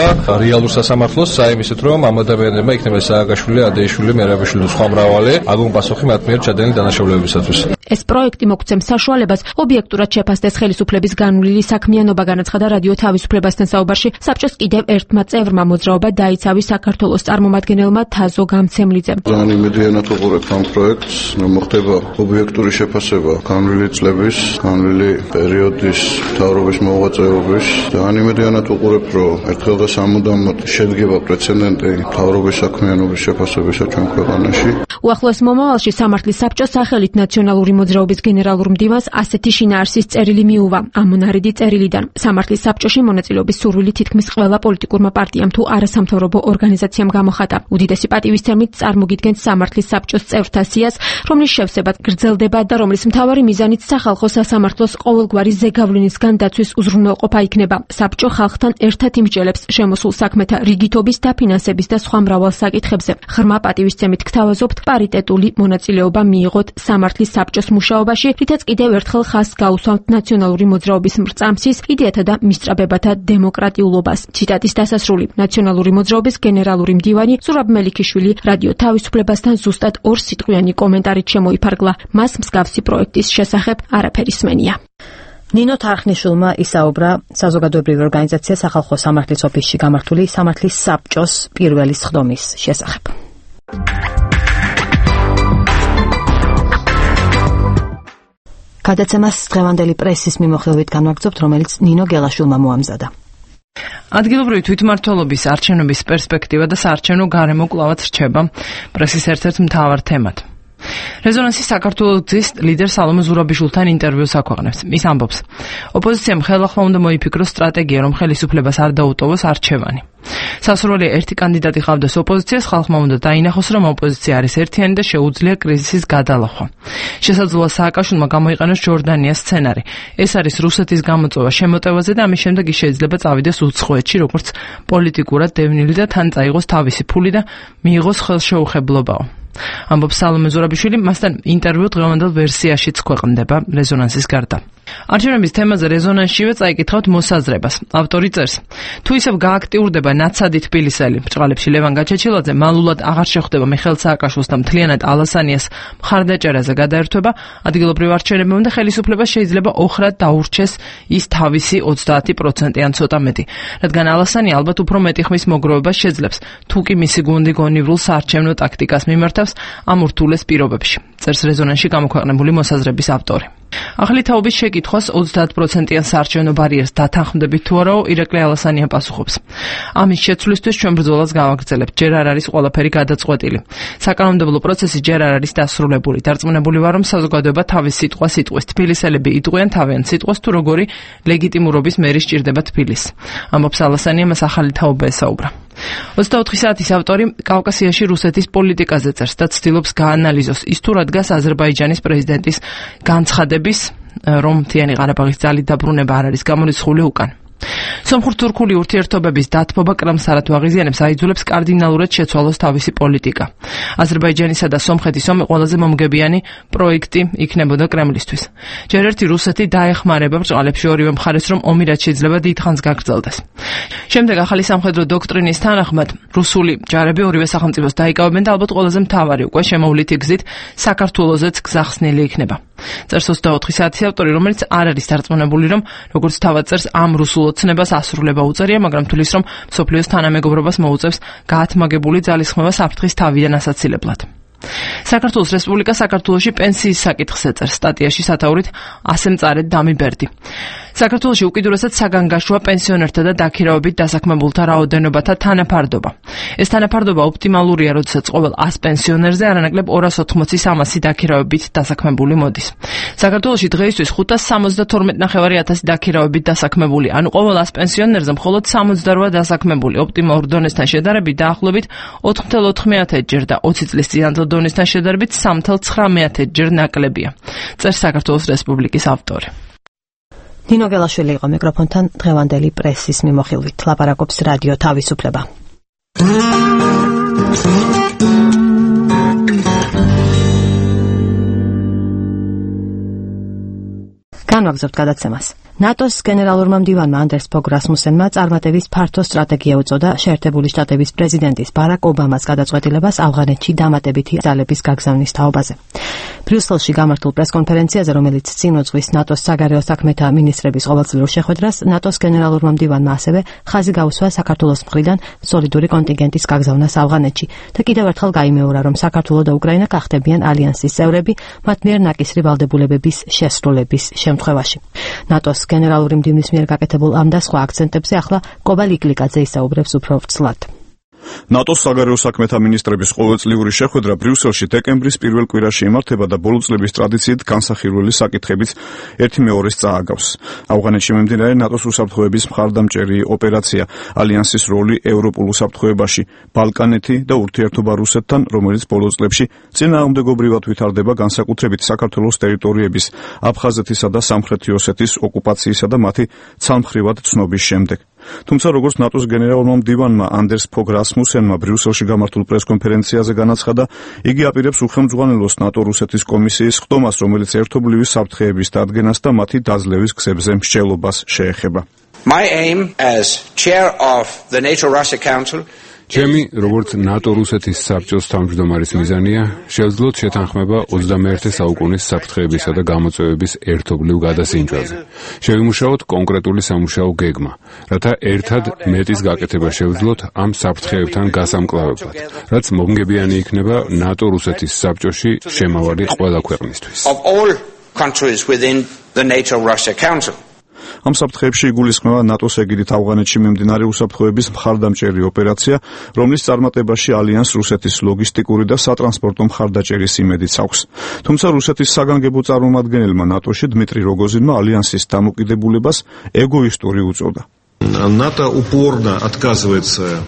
რეალურ სასამართლოს, საიმისით, რომ ამ ადამიანებმა იქნება სააგაშვილი, ადეიშვილი, მერაბიშვილი და სხვა მრავალი აგონ პასუხი მათ მიერ ჩადენილი დანაშაულებებისათვის. ეს პროექტი მოგცემს საშუალებას ობიექტურად შეფასდეს ხელისუფლების განვლილი საქმიანობა, განაცხადა რადიო თავისუფლებასთან საუბარში საბჭოს კიდევ ერთმა წევრმა მოძრაობა დაიცავი საქართველოს წარმომადგენელმა თაზო გამცემლიძემ. ძალიან იმედიანად ვუყურებ ამ პროექტს, რომ მოხდება ობიექტური შეფასება განვლილი წლების, განვლილი პერიოდის მთავრობის მოღვაწეობის. ძალიან იმედიანად ვუყურებ, რომ ერთხელ და სამუდამოდ შედგება პრეცედენტი მთავრობის საქმიანობის შეფასებისა ჩვენ ქვეყანაში. უახლოეს მომავალში სამართლის საბჭოს სახელით ნაციონალური მოძრაობის გენერალურ მდივანს ასეთი შინაარსის წერილი მიუვა ამონარიდი წერილიდან. სამართლის საბჭოში მონაწილეობის სურვილი თითქმის ყველა პოლიტიკურმა პარტიამ თუ არასამთავრობო ორგანიზაციამ გამოხატა. უდიდესი პატივისცემით წარმოგიდგენთ სამართლის საბჭოს წევრთა სიას, რომლის შევსება გრძელდება და რომლის მთავარი მიზანიც სახალხო სასამართლოს ყოველგვარი ზეგავლენისგან დაცვის უზრუნველყოფა იქნება. საბჭო ხალხთან ერთად იმსჯელებს შემოსულ საქმეთა რიგითობის, დაფინანსების და სხვა მრავალ საკითხებზე. ღრმა პატივისცემით გთავაზობთ პარიტეტული მონაწილეობა მიიღოთ სამართლის საბჭოს მუშაობაში, რითაც კიდევ ერთხელ ხაზს გაუსვამთ ნაციონალური მოძრაობის მრწამსის, იდეათა და მისწრაფებათა დემოკრატიულობას. ციტატის დასასრული. ნაციონალური მოძრაობის გენერალური მდივანი ზურაბ მელიქიშვილი რადიო თავისუფლებასთან ზუსტად 2 სიტყვიანი კომენტარით შემოიფარგლა. მას მსგავსი პროექტის შესახებ არაფერი სმენია. ნინო თარხნიშვილმა ისაუბრა საზოგადოებრივი ორგანიზაცია სახალხო სამართლის ოფისში გამართული სამართლის საბჭოს პირველი სხდომის შესახებ. გადაცემას დღევანდელი პრესის მიმოხილვით განვაგრძობთ, რომელიც ნინო გელაშვილმა მოამზადა. ადგილობრივი თვითმმართველობის არჩევნების პერსპექტივა და საარჩევნო გარემო კვლავაც რჩება პრესის ერთ-ერთ მთავარ თემად. რეზონანსი საქართველოს გზის ლიდერ სალომე ზურაბიშვილთან ინტერვიუს აქვეყნებს. ის ამბობს, ოპოზიციამ ხელახლა უნდა მოიფიქროს სტრატეგია, რომ ხელისუფლებას არ დაუტოვოს არჩევანი. სასურველია ერთი კანდიდატი ყავდეს ოპოზიციას, ხალხმა უნდა დაინახოს, რომ ოპოზიცია არის ერთიანი და შეუძლია კრიზისის გადალახვა. შესაძლოა სააკაშვილმა გამოიყენოს ჯორდანიას სცენარი. ეს არის რუსეთის გამოწვევა შემოტევაზე და ამის შემდეგ ის შეიძლება წავიდეს უცხოეთში, როგორც პოლიტიკურად დევნილი და თან წაიღოს თავისი ფული და მიიღოს ხელშეუხებლობაო. ამბობს სალომე ზურაბიშვილი, მასთან ინტერვიუ დღევანდელ ვერსიაშიც ქვეყნდება რეზონანსის გარდა. არჩევნების თემაზე რეზონანსშივე წაიკითხავთ მოსაზრებას. ავტორი წერს, თუ ისევ გააქტიურდება ნაცადი თბილისელი ბრწყალებში ლევან გაჩეჩილაძე, მალულად აღარ შეხვდება მიხეილ სააკაშვილს და მთლიანად ალასანიას მხარდაჭერაზე გადაერთვება, ადგილობრივ არჩევნებმა და ხელისუფლებას შეიძლება ოხრად დაურჩეს ის თავისი 30% ან ცოტა მეტი, რადგან ალასანი ალბათ უფრო მეტი ხმის მოგროვებას შეძლებს, თუ კი მისი გუნდი გონივრულ საარჩევნო ტაქტიკას მიმართავს ამ ურთულეს პირობებში, წერს რეზონანსში გამოქვეყნებული მოსაზრების ავტორი. ახალი თაობის შეკითხვას 30%-იან საარჩევნო ბარიერს დათანხმდებით თუ არაო, ირაკლი ალასანია პასუხობს. ამის შეცვლისთვის ჩვენ ბრძოლას გავაგრძელებთ, ჯერ არ არის ყველაფერი გადაწყვეტილი. საკანონმდებლო პროცესი ჯერ არ არის დასრულებული. დარწმუნებული ვარ, რომ საზოგადოება თავის სიტყვას იტყვის. თბილისელები იტყვიან თავიანთ სიტყვას, თუ როგორი ლეგიტიმურობის მერი სჭირდება თბილისს. ამბობს ალასანია, მას ახალი თაობა ესაუბრა. 24 საათის ავტორი კავკასიაში რუსეთის პოლიტიკაზე წერს და ცდილობს გაანალიზოს ის თუ რა დგას აზერბაიჯანის პრეზიდენტის განცხადების, რომ მთიანი ყარაბაღის ძალით დაბრუნება არ არის გამორიცხული უკან. სომხურ-თურქული ურთიერთობების დათბობა კრამსარად აღიზიანებს აიძულებს კარდინალურად შეცვალოს თავისი პოლიტიკა. აზერბაიჯანისა და სომხეთის ომი ყველაზე მომგებიანი პროექტი იქნებოდა კრემლისთვის. ჯერ ერთი რუსეთი დაეხმარება ბრჭყალებში ორივე მხარეს, რომ ომი რაც შეიძლება დიდხანს გაგრძელდეს. შემდეგ ახალი სამხედრო დოქტრინის თანახმად რუსული ჯარები ორივე სახელმწიფოს დაიკავებენ და ალბათ ყველაზე მთავარი უკვე შემოვლითი გზით საქართველოზეც გზა ხსნილი იქნება. წერს 24 საათის ავტორი, რომელიც არ არის დარწმუნებული, რომ როგორც თავად წერს ამ რუსულ ოცნებას ასრულება უწევია, მაგრამ თulis რომ მსოფლიოს თანამეგობრობას მოუწევს გაათმაგებული ძალისხმევა საფრთხის თავიდან ასაცილებლად. საქართველოს რესპუბლიკა საქართველოში პენსიის საკითხს ეწერს სტატიაში სათაურით ასე მწარედ დამი ბერდი. საქართველოში უკიდურესად საგანგაშოა პენსიონერთა და დაქირავებით დასაქმებულთა რაოდენობათა თანაფარდობა. ეს თანაფარდობა ოპტიმალურია, როდესაც ყოველ 100 პენსიონერზე არანაკლებ 280-300 დაქირავებით დასაქმებული მოდის. საქართველოში დღეისთვის 572,500 დაქირავებით დასაქმებული, ანუ ყოველ 100 პენსიონერზე მხოლოდ 68 დასაქმებული. ოპტიმალურ დონესთან შედარებით დაახლოებით 4,4 ჯერ და 20 წლის წინანდელ დონესთან შედარებით 3,9 ჯერ ნაკლებია. წერს საქართველოს რესპუბლიკის ავტორი. ნინო გელაშვილი იყო მიკროფონთან დღევანდელი პრესის მიმოხილვით. ლაპარაკობს რადიო თავისუფლება. განვაგრძობთ გადაცემას. ნატოს გენერალურმა მდივანმა ანდერს ფოგ რასმუსენმა წარმატების ფართო სტრატეგია უწოდა შეერთებული შტატების პრეზიდენტის ბარაკ ობამას გადაწყვეტილებას ავღანეთში დამატებითი ძალების გაგზავნის თაობაზე. ბრიუსელში გამართულ პრესკონფერენციაზე, რომელიც წინ უძღვის ნატოს საგარეო საქმეთა მინისტრების ყოველწლიურ შეხვედრას, ნატოს გენერალურმა მდივანმა ასევე ხაზი გაუსვა საქართველოს მხრიდან სოლიდური კონტინგენტის გაგზავნას ავღანეთში და კიდევ ერთხელ გაიმეორა, რომ საქართველო და უკრაინა გახდებიან ალიანსის წევრები მათ მიერ ნაკისრი ვალდებულებების შესრულების შემთხვევაში. ნატოს გენერალური მდივნის მიერ გაკეთებულ ამ და სხვა აქცენტებზე ახლა კობა ლიკლიკაძე ისაუბრებს უფრო ვრცლად. ნატოს საგარეო საქმეთა მინისტრების ყოველწლიური შეხვედრა ბრიუსელში დეკემბრის პირველ კვირაში იმართება და ბოლო წლების ტრადიციით განსახილველი საკითხებით ერთი მეორეს წააგავს. ავღანეთში მიმდინარე ნატოს უსაფრთხოების მხარდამჭერი ოპერაცია, ალიანსის როლი ევროპულ უსაფრთხოებაში, ბალკანეთი და ურთიერთობა რუსეთთან, რომელიც ბოლო წლებში წინააღმდეგობრივად ვითარდება განსაკუთრებით საქართველოს ტერიტორიების, აფხაზეთისა და სამხრეთი ოსეთის ოკუპაციისა და მათი ცალმხრივად ცნობის შემდეგ. თუმცა როგორც ნატოს გენერალურმა მდივანმა ანდერს ფოგ რასმუსენმა ბრიუსელში გამართულ პრესკონფერენციაზე განაცხადა, იგი აპირებს უხელმძღვანელოს ნატო-რუსეთის კომისიის ხდომას, რომელიც ერთობლივი საფრთხეების დადგენას და მათი დაძლევის გზებზე მსჯელობას შეეხება. My aim as chair of the NATO-Russia Council ჩემი, როგორც ნატო-რუსეთის საბჭოს თავმჯდომარის მიზანია, შევძლოთ შეთანხმება 21 საუკუნის საფრთხეებისა და გამოწვევების ერთობლივ გადასინჯვაზე. შევიმუშაოთ კონკრეტული სამუშაო გეგმა, რათა ერთად მეტის გაკეთება შევძლოთ ამ საფრთხეებთან გასამკლავებლად, რაც მომგებიანი იქნება ნატო-რუსეთის საბჭოში შემავალი ყველა ქვეყნისთვის. of all countries within the NATO-Russia Council. ამ საფრთხეებში იგულისხმება ნატოს ეგიდით ავღანეთში მიმდინარე უსაფრთხოების მხარდამჭერი ოპერაცია, რომლის წარმატებაში ალიანს რუსეთის ლოგისტიკური და სატრანსპორტო მხარდაჭერის იმედიც აქვს. თუმცა რუსეთის საგანგებო წარმომადგენელმა ნატოში დმიტრი როგოზინმა ალიანსის დამოკიდებულებას ეგოისტური უწოდა. НАТО упорно отказывается.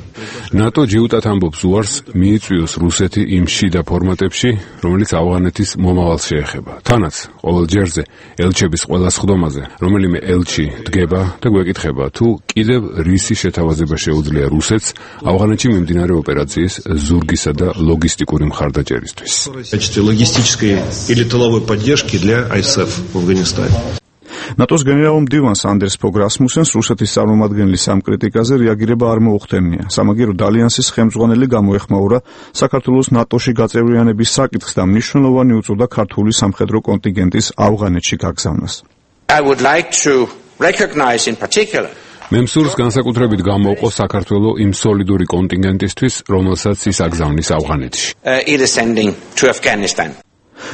NATO ჯიუტად ამბობს უარს მიიწვიოს რუსეთი იმ შიდა ფორმატებში, რომელიც ავღანეთის მომავალს შეეხება. თანაც ყოველ ჯერზე ელჩების ყველა სხდომაზე, რომელიმე ელჩი დგება და გვეკითხება, თუ კიდევ რისი შეთავაზება შეუძლია რუსეთს ავღანეთში მიმდინარე ოპერაციის ზურგისა და ლოგისტიკური მხარდაჭერისთვის. Логистической или тыловой поддержки для ISAF в Афганистане. ნატოს გენერალურ მდივანს ანდერს ფოგ რასმუსენს რუსეთის წარმომადგენლის ამ კრიტიკაზე რეაგირება არ მოუხდენია. სამაგიეროდ ალიანსის ხელმძღვანელი გამოეხმაურა საქართველოს ნატოში გაწევრიანების საკითხს და მნიშვნელოვანი უწოდა ქართული სამხედრო კონტინგენტის ავღანეთში გაგზავნას. I would like to recognize in particular მე მსურს განსაკუთრებით გამოვყო საქართველო იმ სოლიდური კონტინგენტისთვის, რომელსაც ის აგზავნის ავღანეთში. it is sending to Afghanistan.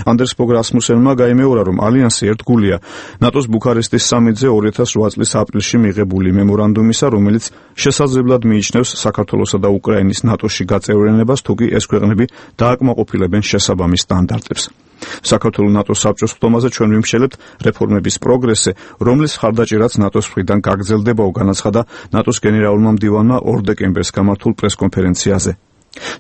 ანდერს ფოგ რასმუსენმა გაიმეორა, რომ ალიანსი ერთგულია ნატოს ბუქარესტის სამიტზე 2008 წლის აპრილში მიღებული მემორანდუმისა, რომელიც შესაძლებლად მიიჩნევს საქართველოსა და უკრაინის ნატოში გაწევრიანებას, თუკი ეს ქვეყნები დააკმაყოფილებენ შესაბამის სტანდარტებს. საქართველოს ნატოს საბჭოს ხდომაზე ჩვენ ვიმშელებთ რეფორმების პროგრესზე, რომლის ხარდაჭერაც ნატოს მხრიდან გაგრძელდებაო, განაცხადა ნატოს გენერალურმა მდივანმა 2 დეკემბერს გამართულ პრესკონფერენციაზე.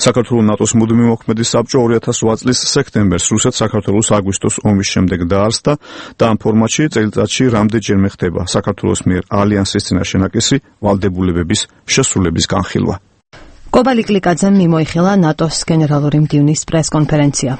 საქართველოს ნატოს მუდმივ მოქმედი საბჭო 2008 წლის სექტემბერს რუსეთ-საქართველოს აგვისტოს ომის შემდეგ დაარსდა და ამ ფორმატში წელიწადში რამდენჯერმე ხდება საქართველოს მიერ ალიანსის წინაშე ნაკისი ვალდებულებების შესრულების განხილვა. კობა ლიკლიკაძემ მიმოიხილა ნატოს გენერალური მდივნის პრესკონფერენცია.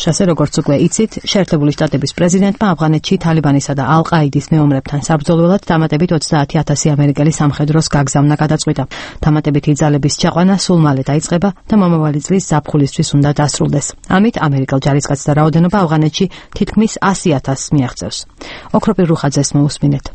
შასე როგორც უკვე იცით, შეერთებული შტატების პრეზიდენტმა ავღანეთში თალიბანისა და ალ-ყაიდის მეომრებთან საბრძოლველად დამატებით 30,000 ამერიკელი სამხედროს გაგზავნა გადაწყვიტა. დამატებითი ძალების ჩაყვანა სულ მალე დაიწყება და მომავალი წლის ზაფხულისთვის უნდა დასრულდეს. ამით ამერიკელ ჯარისკაცთა რაოდენობა ავღანეთში თითქმის 100,000-ს მიაღწევს. ოქროპირ რუხაძეს მოусმინეთ.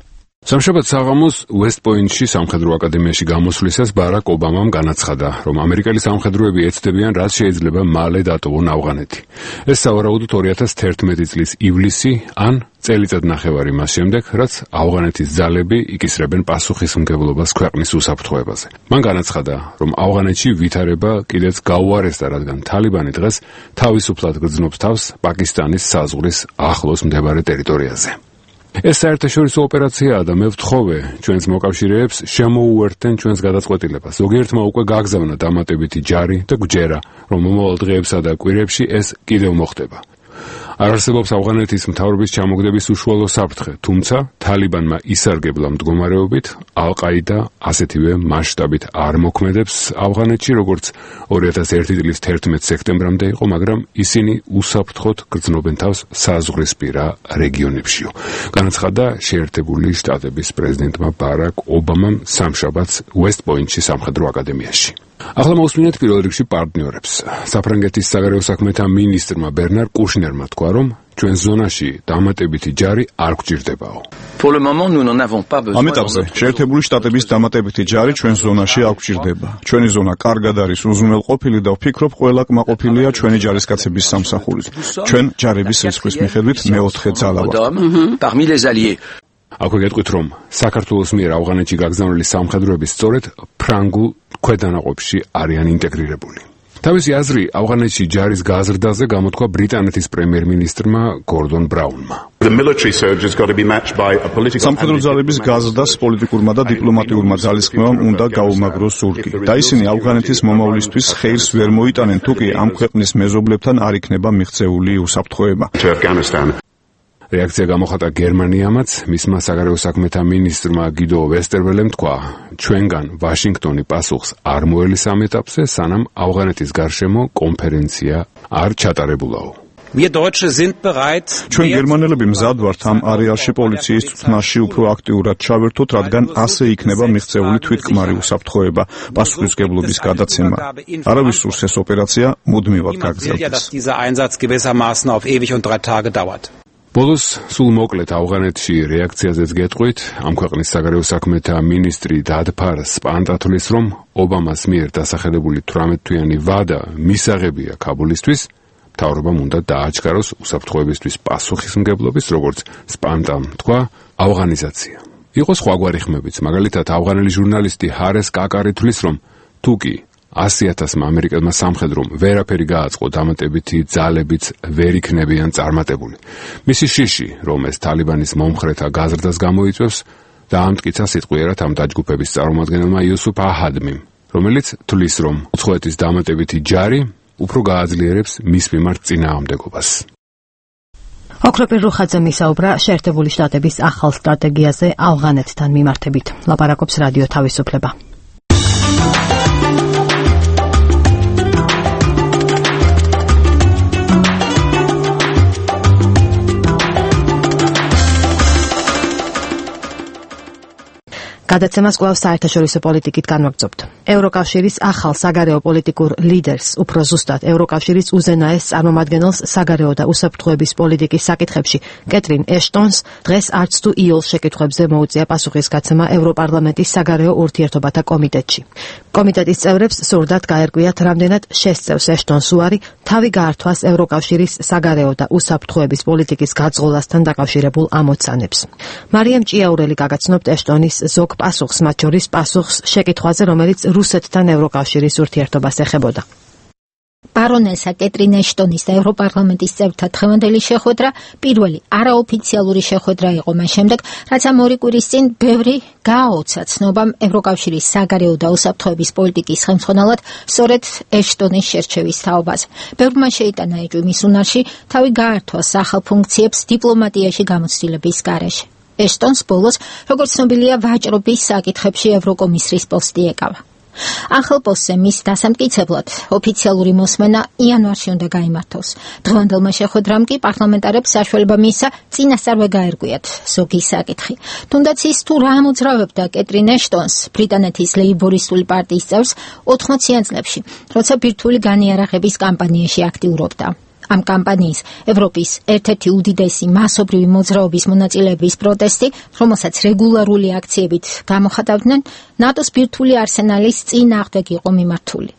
სამშაბათ საღამოს ვესტ-პოინტში სამხედრო აკადემიაში გამოსვლისას ბარაკ ობამამ განაცხადა, რომ ამერიკელი სამხედროები ეცდებიან, რაც შეიძლება მალე დატოვონ ავღანეთი. ეს სავარაუდოდ 2011 წლის ივლისი ან წელიწადნახევარი მას შემდეგ, რაც ავღანეთის ძალები იკისრებენ პასუხისმგებლობას ქვეყნის უსაფრთხოებაზე. მან განაცხადა, რომ ავღანეთში ვითარება კიდეც გაუარესდა, რადგან თალიბანი დღეს თავისუფლად გრძნობს თავს პაკისტანის საზღვრის ახლოს მდებარე ტერიტორიაზე. ეს საერთაშორისო ოპერაციაა და მე ვთხოვე ჩვენს მოკავშირეებს შემოუერთდენ ჩვენს გადაწყვეტილებას. ზოგიერთმა უკვე გაგზავნა დამატებითი ჯარი და გვჯერა, რომ მომავალ დღეებსა და კვირებში ეს კიდევ მოხდება. არ არსებობს ავღანეთის მთავრობის ჩამოგდების უშუალო საფრთხე, თუმცა თალიბანმა ისარგებლა მდგომარეობით, ალ-ყაიდა ასეთივე მასშტაბით არ მოქმედებს ავღანეთში, როგორც 2001 წლის 11 სექტემბრამდე იყო, მაგრამ ისინი უსაფრთხოდ გრძნობენ თავს საზღვრისპირა რეგიონებშიო. განაცხადა შეერთებული შტატების პრეზიდენტმა ბარაკ ობამამ სამშაბათს ვესტ-პოინტში სამხედრო აკადემიაში. ახლა მოусმინეთ პირველ რიგში პარტნიორებს. საფრანგეთის საგარეო საქმეთა მინისტრმა ბერნარ კუშნერმა თქვა, რომ ჩვენ ზონაში დამატებითი ჯარი არ გვჭირდებაო. ამ ეტაპზე შეერთებული შტატების დამატებითი ჯარი ჩვენ ზონაში არ გვჭირდება. ჩვენი ზონა კარგად არის უზრუნველყოფილი და ვფიქრობ, ყველა კმაყოფილია ჩვენი ჯარისკაცების სამსახურით. ჩვენ ჯარების რიცხვის მიხედვით მეოთხე ძალა ვართ. აქვე გეტყვით, რომ საქართველოს მიერ ავღანეთში გაგზავნილი სამხედროები სწორედ ფრანგულ ქვედანაყოფში არიან ინტეგრირებული. თავისი აზრი ავღანეთში ჯარის გაზრდაზე გამოთქვა ბრიტანეთის პრემიერ-მინისტრმა გორდონ ბრაუნმა. სამხედრო ძალების გაზრდას პოლიტიკურმა და დიპლომატიურმა ძალისხმევამ უნდა გაუმაგროს ზურგი და ისინი ავღანეთის მომავლისთვის ხეირს ვერ მოიტანენ, თუკი ამ ქვეყნის მეზობლებთან არ იქნება მიღწეული უსაფრთხოება. რეაქცია გამოხატა გერმანიამაც, მისმა საგარეო საქმეთა მინისტრმა გიდო ვესტერველემ თქვა, ჩვენგან ვაშინგტონი პასუხს არ მოელის ამ ეტაპზე, სანამ ავღანეთის გარშემო კონფერენცია არ ჩატარებულაო. ჩვენ გერმანელები მზად ვართ ამ არეალში პოლიციის წვრთნაში უფრო აქტიურად ჩავერთოთ, რადგან ასე იქნება მიღწეული თვითკმარი უსაფრთხოება, პასუხისმგებლობის გადაცემა. არავის სურს ეს ოპერაცია მუდმივად გაგრძელდეს. ბოლოს სულ მოკლედ ავღანეთში რეაქციაზეც გეტყვით, ამ ქვეყნის საგარეო საქმეთა მინისტრი დადფარ სპანტათლის, რომ ობამას მიერ დასახელებული 18-თვიანი ვადა მისაღებია ქაბულისთვის, მთავრობამ უნდა დააჩქაროს უსაფრთხოებისთვის პასუხისმგებლობის, როგორც სპანტამ თქვა, ავღანიზაცია. იყო სხვაგვარი ხმებიც, მაგალითად ავღანელი ჟურნალისტი ჰარეს კაკარი თვლის, რომ თუკი 100,000 ამერიკელმა სამხედრომ ვერაფერი გააწყო, დამატებითი ძალებიც ვერ იქნებიან წარმატებული. მისი შიში, რომ ეს თალიბანის მომხრეთა გაზრდას გამოიწვევს, დაამტკიცა სიტყვიერად ამ დაჯგუფების წარმომადგენელმა იუსუფ აჰადმიმ, რომელიც თვლის, რომ უცხოეთის დამატებითი ჯარი უფრო გააძლიერებს მის მიმართ წინააღმდეგობას. ოქროპირ რუხაძემ ისაუბრა შეერთებული შტატების ახალ სტრატეგიაზე ავღანეთთან მიმართებით. ლაპარაკობს რადიო თავისუფლება. გადაცემას კვლავ საერთაშორისო პოლიტიკით განვაგრძობთ. ევროკავშირის ახალ საგარეო პოლიტიკურ ლიდერს, უფრო ზუსტად ევროკავშირის უზენაეს წარმომადგენელს საგარეო და უსაფრთხოების პოლიტიკის საკითხებში, კეტრინ ეშტონს, დღეს არც თუ იოლ შეკითხვებზე მოუწია პასუხისგაცემა ევროპარლამენტის საგარეო ურთიერთობათა კომიტეტში. კომიტეტის წევრებს სურდათ გაერკვიათ, რამდენად შესწევს ეშტონს უარი თავი გაართვას ევროკავშირის საგარეო და უსაფრთხოების პოლიტიკის გაძღოლასთან დაკავშირებულ ამოცანებს. მარიამ ჭიაურელი გაგაცნობთ ეშტონის ზოგ პასუხს, მათ შორის პასუხს შეკითხვაზე, რომელიც რუსეთთან ევროკავშირის ურთიერთობას ეხებოდა. ბარონესა კეტრინ ეშტონის და ევროპარლამენტის წევრთა დღევანდელი შეხვედრა პირველი არაოფიციალური შეხვედრა იყო მას შემდეგ, რაც ამ ორი კვირის წინ ბევრი გააოცა ცნობამ ევროკავშირის საგარეო და უსაფრთხოების პოლიტიკის ხელმძღვანელად სწორედ ეშტონის შერჩევის თაობაზე. ბევრმა შეიტანა ეჭვი მის უნარში თავი გაართვა სახალ ფუნქციებს დიპლომატიაში გამოცდილების გარეშე. ეშტონს ბოლოს, როგორც ცნობილია, ვაჭრობის საკითხებში ევროკომისრის პოსტი ეკავა. ახალ პოსტზე მის დასამტკიცებლად ოფიციალური მოსმენა იანვარში უნდა გაიმართოს. დღევანდელმა შეხვედრამ კი პარლამენტარებს საშუალება მისცა წინასწარ გაერკვიათ ზოგი საკითხი. თუნდაც ის თუ რა ამოძრავებდა კეტრინ ეშტონს, ბრიტანეთის ლეიბორისტული პარტიის წევრს 80-იან წლებში, როცა ბირთვული განიარაღების კამპანიაში აქტიურობდა. ამ კამპანიის ევროპის ერთ-ერთი უდიდესი მასობრივი მოძრაობის მონაწილეების პროტესტი, რომელსაც რეგულარული აქციებით გამოხატავდნენ, ნატოს ბირთვული არსენალის წინააღმდეგ იყო მიმართული.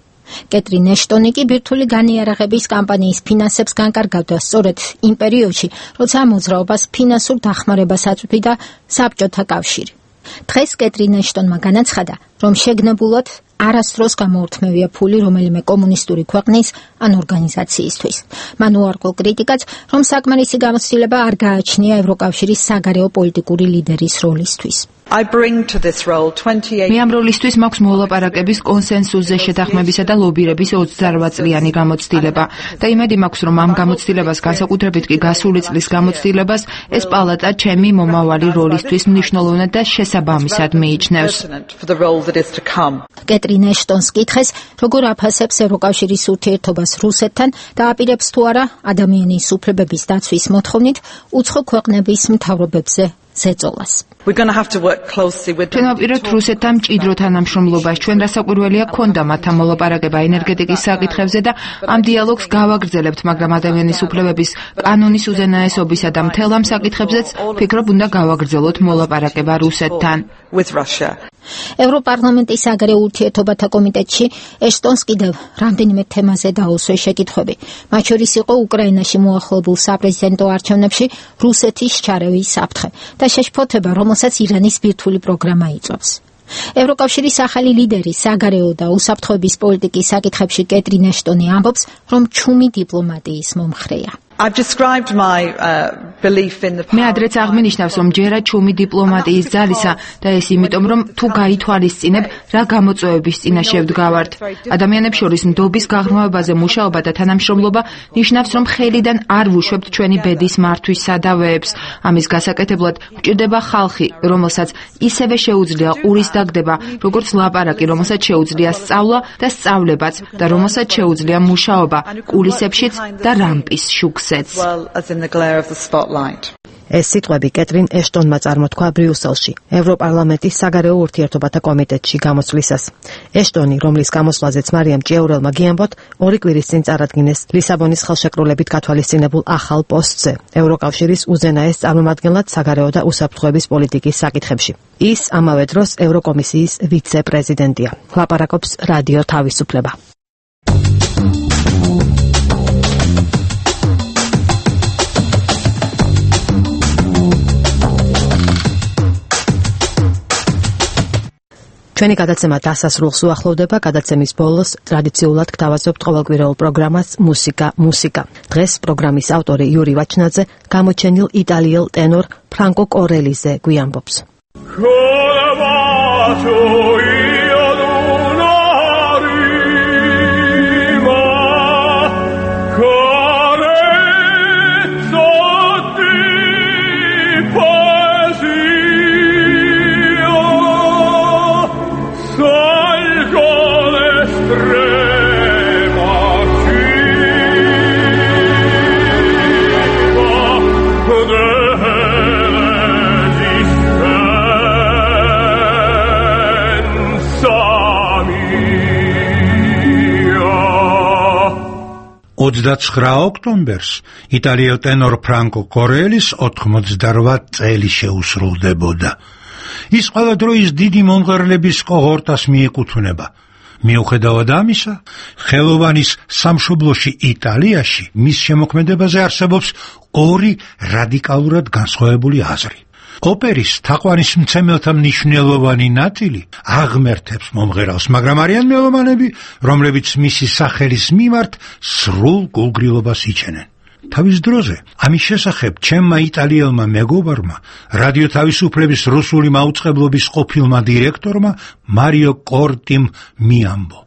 კეტრინ ეშტონი კი ბირთვული განიარაღების კამპანიის ფინანსებს განკარგავდა სწორედ იმ პერიოდში, როცა ამ მოძრაობას ფინანსურ დახმარებას აწვდიდა საბჭოთა კავშირი. დღეს კეტრინ ეშტონმა განაცხადა, რომ შეგნებულად არასდროს გამოურთმევია ფული რომელიმე კომუნისტური ქვეყნის ან ორგანიზაციისთვის. მან უარყო კრიტიკაც, რომ საკმარისი გამოცდილება არ გააჩნია ევროკავშირის საგარეო პოლიტიკური ლიდერის როლისთვის. მე ამ როლისთვის მაქვს მოლაპარაკების კონსენსუსზე შეთანხმებისა და ლობირების 28 წლიანი გამოცდილება და იმედი მაქვს, რომ ამ გამოცდილებას, განსაკუთრებით კი გასული წლის გამოცდილებას, ეს პალატა ჩემი მომავალი როლისთვის მნიშვნელოვნად და შესაბამისად მიიჩნევს. კეტრინ ეშტონს კითხეს, როგორ აფასებს ევროკავშირის ურთიერთობას რუსეთთან და აპირებს თუ არა ადამიანის უფლებების დაცვის მოთხოვნით უცხო ქვეყნების მთავრობებზე ზეწოლას. ჩვენ ვაპირებთ რუსეთთან მჭიდრო თანამშრომლობას. ჩვენ რასაკვირველია გქონდა მათთან მოლაპარაკება ენერგეტიკის საკითხებზე და ამ დიალოგს გავაგრძელებთ, მაგრამ ადამიანის უფლებების კანონის უზენაესობისა და მთელ ამ საკითხებზეც ვფიქრობ უნდა გავაგრძელოთ მოლაპარაკება რუსეთთან. ევროპარლამენტის საგარეო ურთიერთობათა კომიტეტში ეშტონს კიდევ რამდენიმე თემაზე დაუსვეს შეკითხვები. მათ შორის იყო უკრაინაში მოახერხებულ საპრეზიდენტო არჩევნებში რუსეთის ჩარევის საფრთხე და შეშფოთება, რომელსაც ირანის ბირთვული პროგრამა იწვევს. ევროკავშირის ახალი ლიდერი საგარეო და უსაფრთხოების პოლიტიკის საკითხებში კეტრინ ეშტონი ამბობს, რომ ჩუმი დიპლომატიის მომხრეა. მე ადრეც აღმინიშნავს, რომ ჯერა ჩუმი დიპლომატიის ძალისა და ეს იმიტომ, რომ თუ გაითვალისწინებ, რა გამოწვევების წინაშე ვდგავართ. ადამიანებს შორის ნდობის გაღრმავებაზე მუშაობა და თანამშრომლობა ნიშნავს, რომ ხელიდან არ ვუშვებთ ჩვენი ბედის მართვის სადავეებს. ამის გასაკეთებლად გვჭირდება ხალხი, რომელსაც ისევე შეუძლია ყურის დაგდება, როგორც ლაპარაკი, რომელსაც შეუძლია სწავლა და სწავლებაც და რომელსაც შეუძლია მუშაობა კულისებშიც და რამპის შუქს. ეს სიტყვები კეტრინ ეშტონმა წარმოთქვა ბრიუსელში, ევროპარლამენტის საგარეო ურთიერთობათა კომიტეტში გამოსვლისას. ეშტონი, რომლის გამოსვლაზეც მარიამ ჭიაურელმა გიამბოთ, 2 კვირის წინ წარადგინეს ლისაბონის ხელშეკრულებით გათვალისწინებულ ახალ პოსტზე, ევროკავშირის უზენაეს წარმომადგენლად საგარეო და უსაფრთხოების პოლიტიკის საკითხებში. ის ამავე დროს ევროკომისიის ვიცე-პრეზიდენტია. ლაპარაკობს რადიო თავისუფლება. ჩვენი გადაცემა დასასრულს უახლოვდება. გადაცემის ბოლოს ტრადიციულად გთავაზობთ ყოველკვირეულ პროგრამას მუსიკა. დღეს პროგრამის ავტორი იური ვაჩნაძე გამოჩენილ იტალიელ ტენორ ფრანკო კორელიზე გვიამბობს. ოქტომბერს იტალიელ ტენორ ფრანკო კორელის 88 წელი შეუსრულდებოდა. ის ყველა დროის დიდი მომღერლების კოჰორტას მიეკუთვნება. მიუხედავად ამისა, ხელოვანის სამშობლოში იტალიაში მის შემოქმედებაზე არსებობს 2 რადიკალურად განსხვავებული აზრი. ოპერის თაყვანისმცემელთა მნიშვნელოვანი ნაწილი აღმერთებს მომღერალს, მაგრამ არიან მელომანები, რომლებიც მისი სახელის მიმართ სრულ გულგრილობას იჩენენ. თავის დროზე ამის შესახებ ჩემმა იტალიელმა მეგობარმა, რადიო თავისუფლების რუსული მაუწყებლობის ყოფილმა დირექტორმა მარიო კორტიმ მიამბო.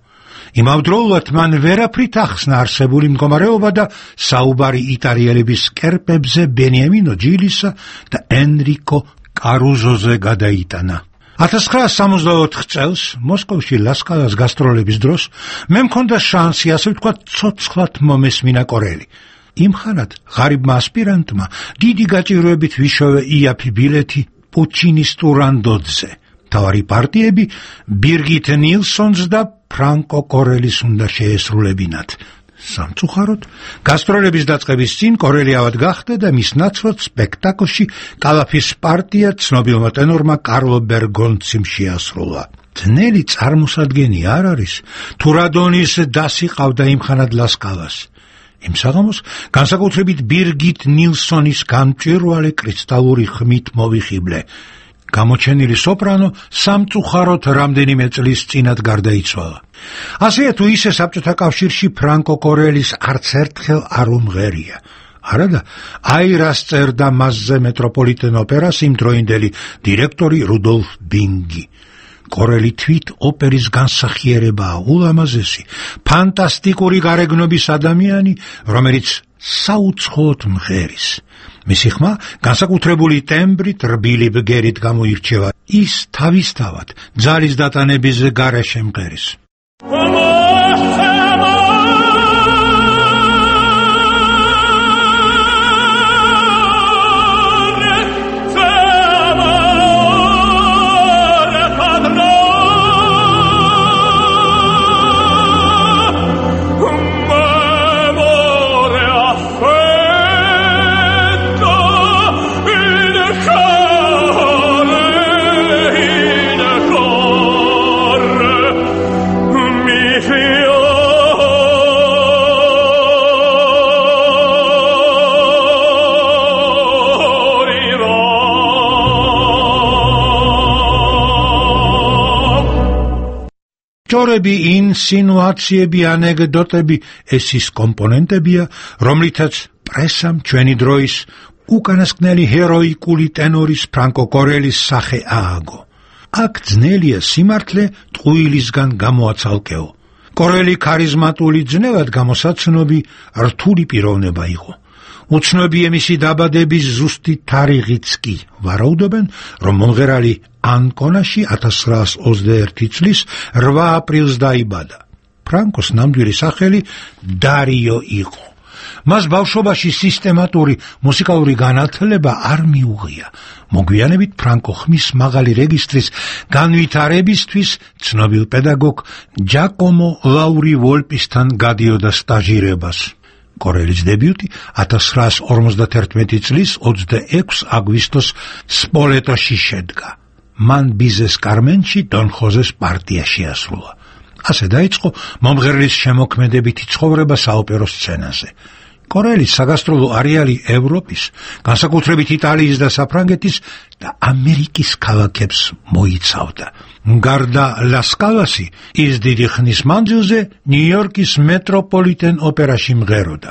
იმავდროულად მან ვერაფრით ახსნა არსებული მდგომარეობა და საუბარი იტალიელების კერპებზე ბენიამინო ჯილისა და ენრიკო კარუზოზე გადაიტანა. 1964 წელს მოსკოვში ლასკალას გასტროლების დროს მე მქონდა შანსი, ასე ვთქვათ, ცოცხლად მომესმინა კორელი. იმ ხანად ღარიბმა ასპირანტმა დიდი გაჭირვებით ვიშოვე იაფი ბილეთი პუჩინის ტურანდოძზე. თავარი პარტიები ბირგიტ ნილსონს და ფრანკო კორელის უნდა შეესრულებინათ. სამწუხაროდ, გასტროლების დაწყების წინ კორელი ავად გახდა და მის ნაცვლად სპექტაკლში კალაფის პარტია ცნობილმა ტენორმა კარლო ბერგონციმ შეასრულა. ძნელი წარმოსადგენი არ არის, თუ რადონის დასი ყავდა იმხანად ლასკალას. იმ საღამოს განსაკუთრებით ბირგიტ ნილსონის გამჭვირვალე კრისტალური ხმით მოვიხიბლე. გამოჩენილი სოპრანო სამწუხაროდ რამდენიმე წლის წინათ გარდაიცვალა. ასეა თუ ისე საბჭოთა კავშირში ფრანკო კორელის არც ერთხელ არ უმღერია. არადა აირას წერდა მასზე მეტროპოლიტენ ოპერას იმდროინდელი დირექტორი რუდოლფ ბინგი. კორელი თვით ოპერის განსახიერებაა, ულამაზესი, ფანტასტიკური გარეგნობის ადამიანი, რომელიც საუცხოოდ მღერის. მისი ხმა განსაკუთრებული ტემბრით, რბილი ბგერით გამოირჩევა. ის თავისთავად ძალის დატანების გარეშე მღერის. ჯორები, ინსინუაციები, ანეკდოტები ეს ის კომპონენტებია, რომლითაც პრესამ ჩვენი დროის უკანასკნელი ჰეროიკული ტენორის ფრანკო კორელის სახე ააგო. აქ ძნელია სიმართლე ტყუილისგან გამოაცალკეო. კორელი ქარიზმატული ძნელად გამოსაცნობი რთული პიროვნება იყო. უცნობია მისი დაბადების ზუსტი თარიღიც კი. ვარაუდობენ, რომ მომღერალი ანკონაში 1921 წლის 8 აპრილს დაიბადა. ფრანკოს ნამდვილი სახელი დარიო იყო. მას ბავშვობაში სისტემატური მუსიკალური განათლება არ მიუღია. მოგვიანებით ფრანკო ხმის მაღალი რეგისტრის განვითარებისთვის ცნობილ პედაგოგ ჯაკომო ლაური ვოლპისთან გადიოდა სტაჟირებას. კორელის დებიუტი 1951 წლის 26 აგვისტოს სპოლეტოში შედგა. მან ბიზეს კარმენში დონ ხოზეს პარტია შეასრულა. ასე დაიწყო მომღერლის შემოქმედებითი ცხოვრება საოპერო სცენაზე. კორელის საგასტროლო არეალი ევროპის, განსაკუთრებით იტალიის და საფრანგეთის და ამერიკის ქალაქებს მოიცავდა. გარდა ლასკალასი, ის დიდი ხნის მანძილზე ნიუ-იორკის მეტროპოლიტენ ოპერაში მღეროდა.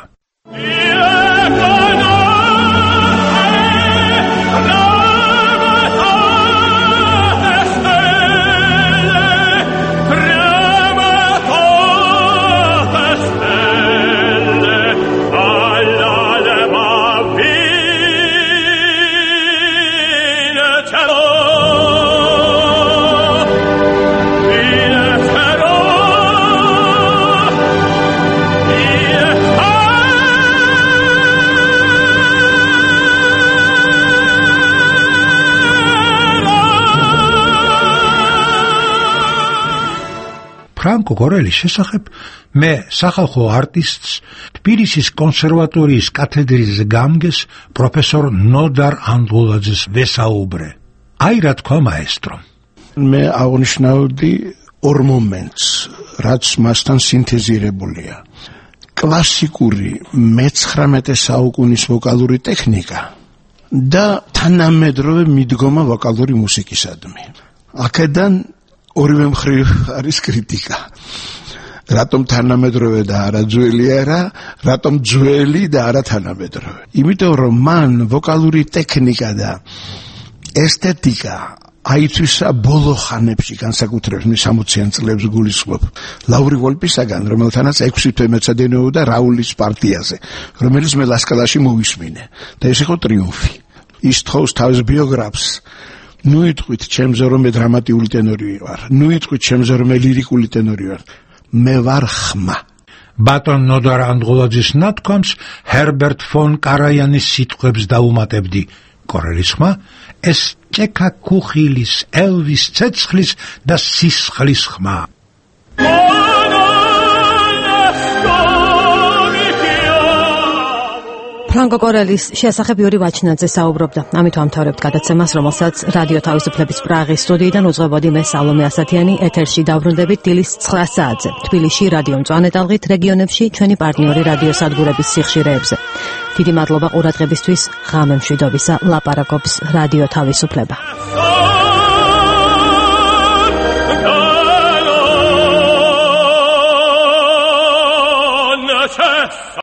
ფრანკო კორელის შესახებ მე სახალხო არტისტს თბილისის კონსერვატორიის კათედრის გამგეს პროფესორ ნოდარ ანდღულაძეს ვესაუბრე. აი რა თქვა მაესტრომ. მე აღნიშნავდი ორ მომენტს, რაც მასთან სინთეზირებულია. კლასიკური მე-19 საუკუნის ვოკალური ტექნიკა და თანამედროვე მიდგომა ვოკალური მუსიკისადმი. აქედან ორივე მხრივ არის კრიტიკა. რატომ თანამედროვე და არა ძველია რა, რატომ ძველი და არა თანამედროვე. იმიტომ რომ მან ვოკალური ტექნიკა და ესთეტიკა აიწვისა ბოლო ხანებში, განსაკუთრებით 60-იან წლებს გულისხმობ ლაური ვოლპისაგან, რომელთანაც 6 თვე მეცადინეობდა რაულის პარტიაზე, რომელიც მე ლასკალაში მოვისმინე და ეს იყო ტრიუმფი. ის თხოვს თავის ბიოგრაფს, ნუ იტყვით ჩემზე რომ მე დრამატიული ტენორი ვარ, ნუ იტყვით ჩემზე რომ მე ლირიკული ტენორი ვარ, მე ვარ ხმა. ბატონ ნოდარ ანდღულაძის ნათქვამს ჰერბერტ ფონ კარაიანის სიტყვებს დაუმატებდი. კორელის ხმა ეს ჭექა კუხილის, ელვის ცეცხლის და სისხლის ხმა. ფრანკო კორელის შესახებ იური ვაჩნაძე საუბრობდა. ამით ვამთავრებთ გადაცემას, რომელსაც რადიო თავისუფლების პრაღის სტუდიიდან უძღვებოდი მე სალომე ასათიანი. ეთერში დავრუნდებით დილის 9 საათზე. თბილისში რადიო მწვანე ტალღით, რეგიონებში ჩვენი პარტნიორი რადიო სადგურების სიხშირეებზე. დიდი მადლობა ყურადღებისთვის. ღამე მშვიდობისა. ლაპარაკობს რადიო თავისუფლება.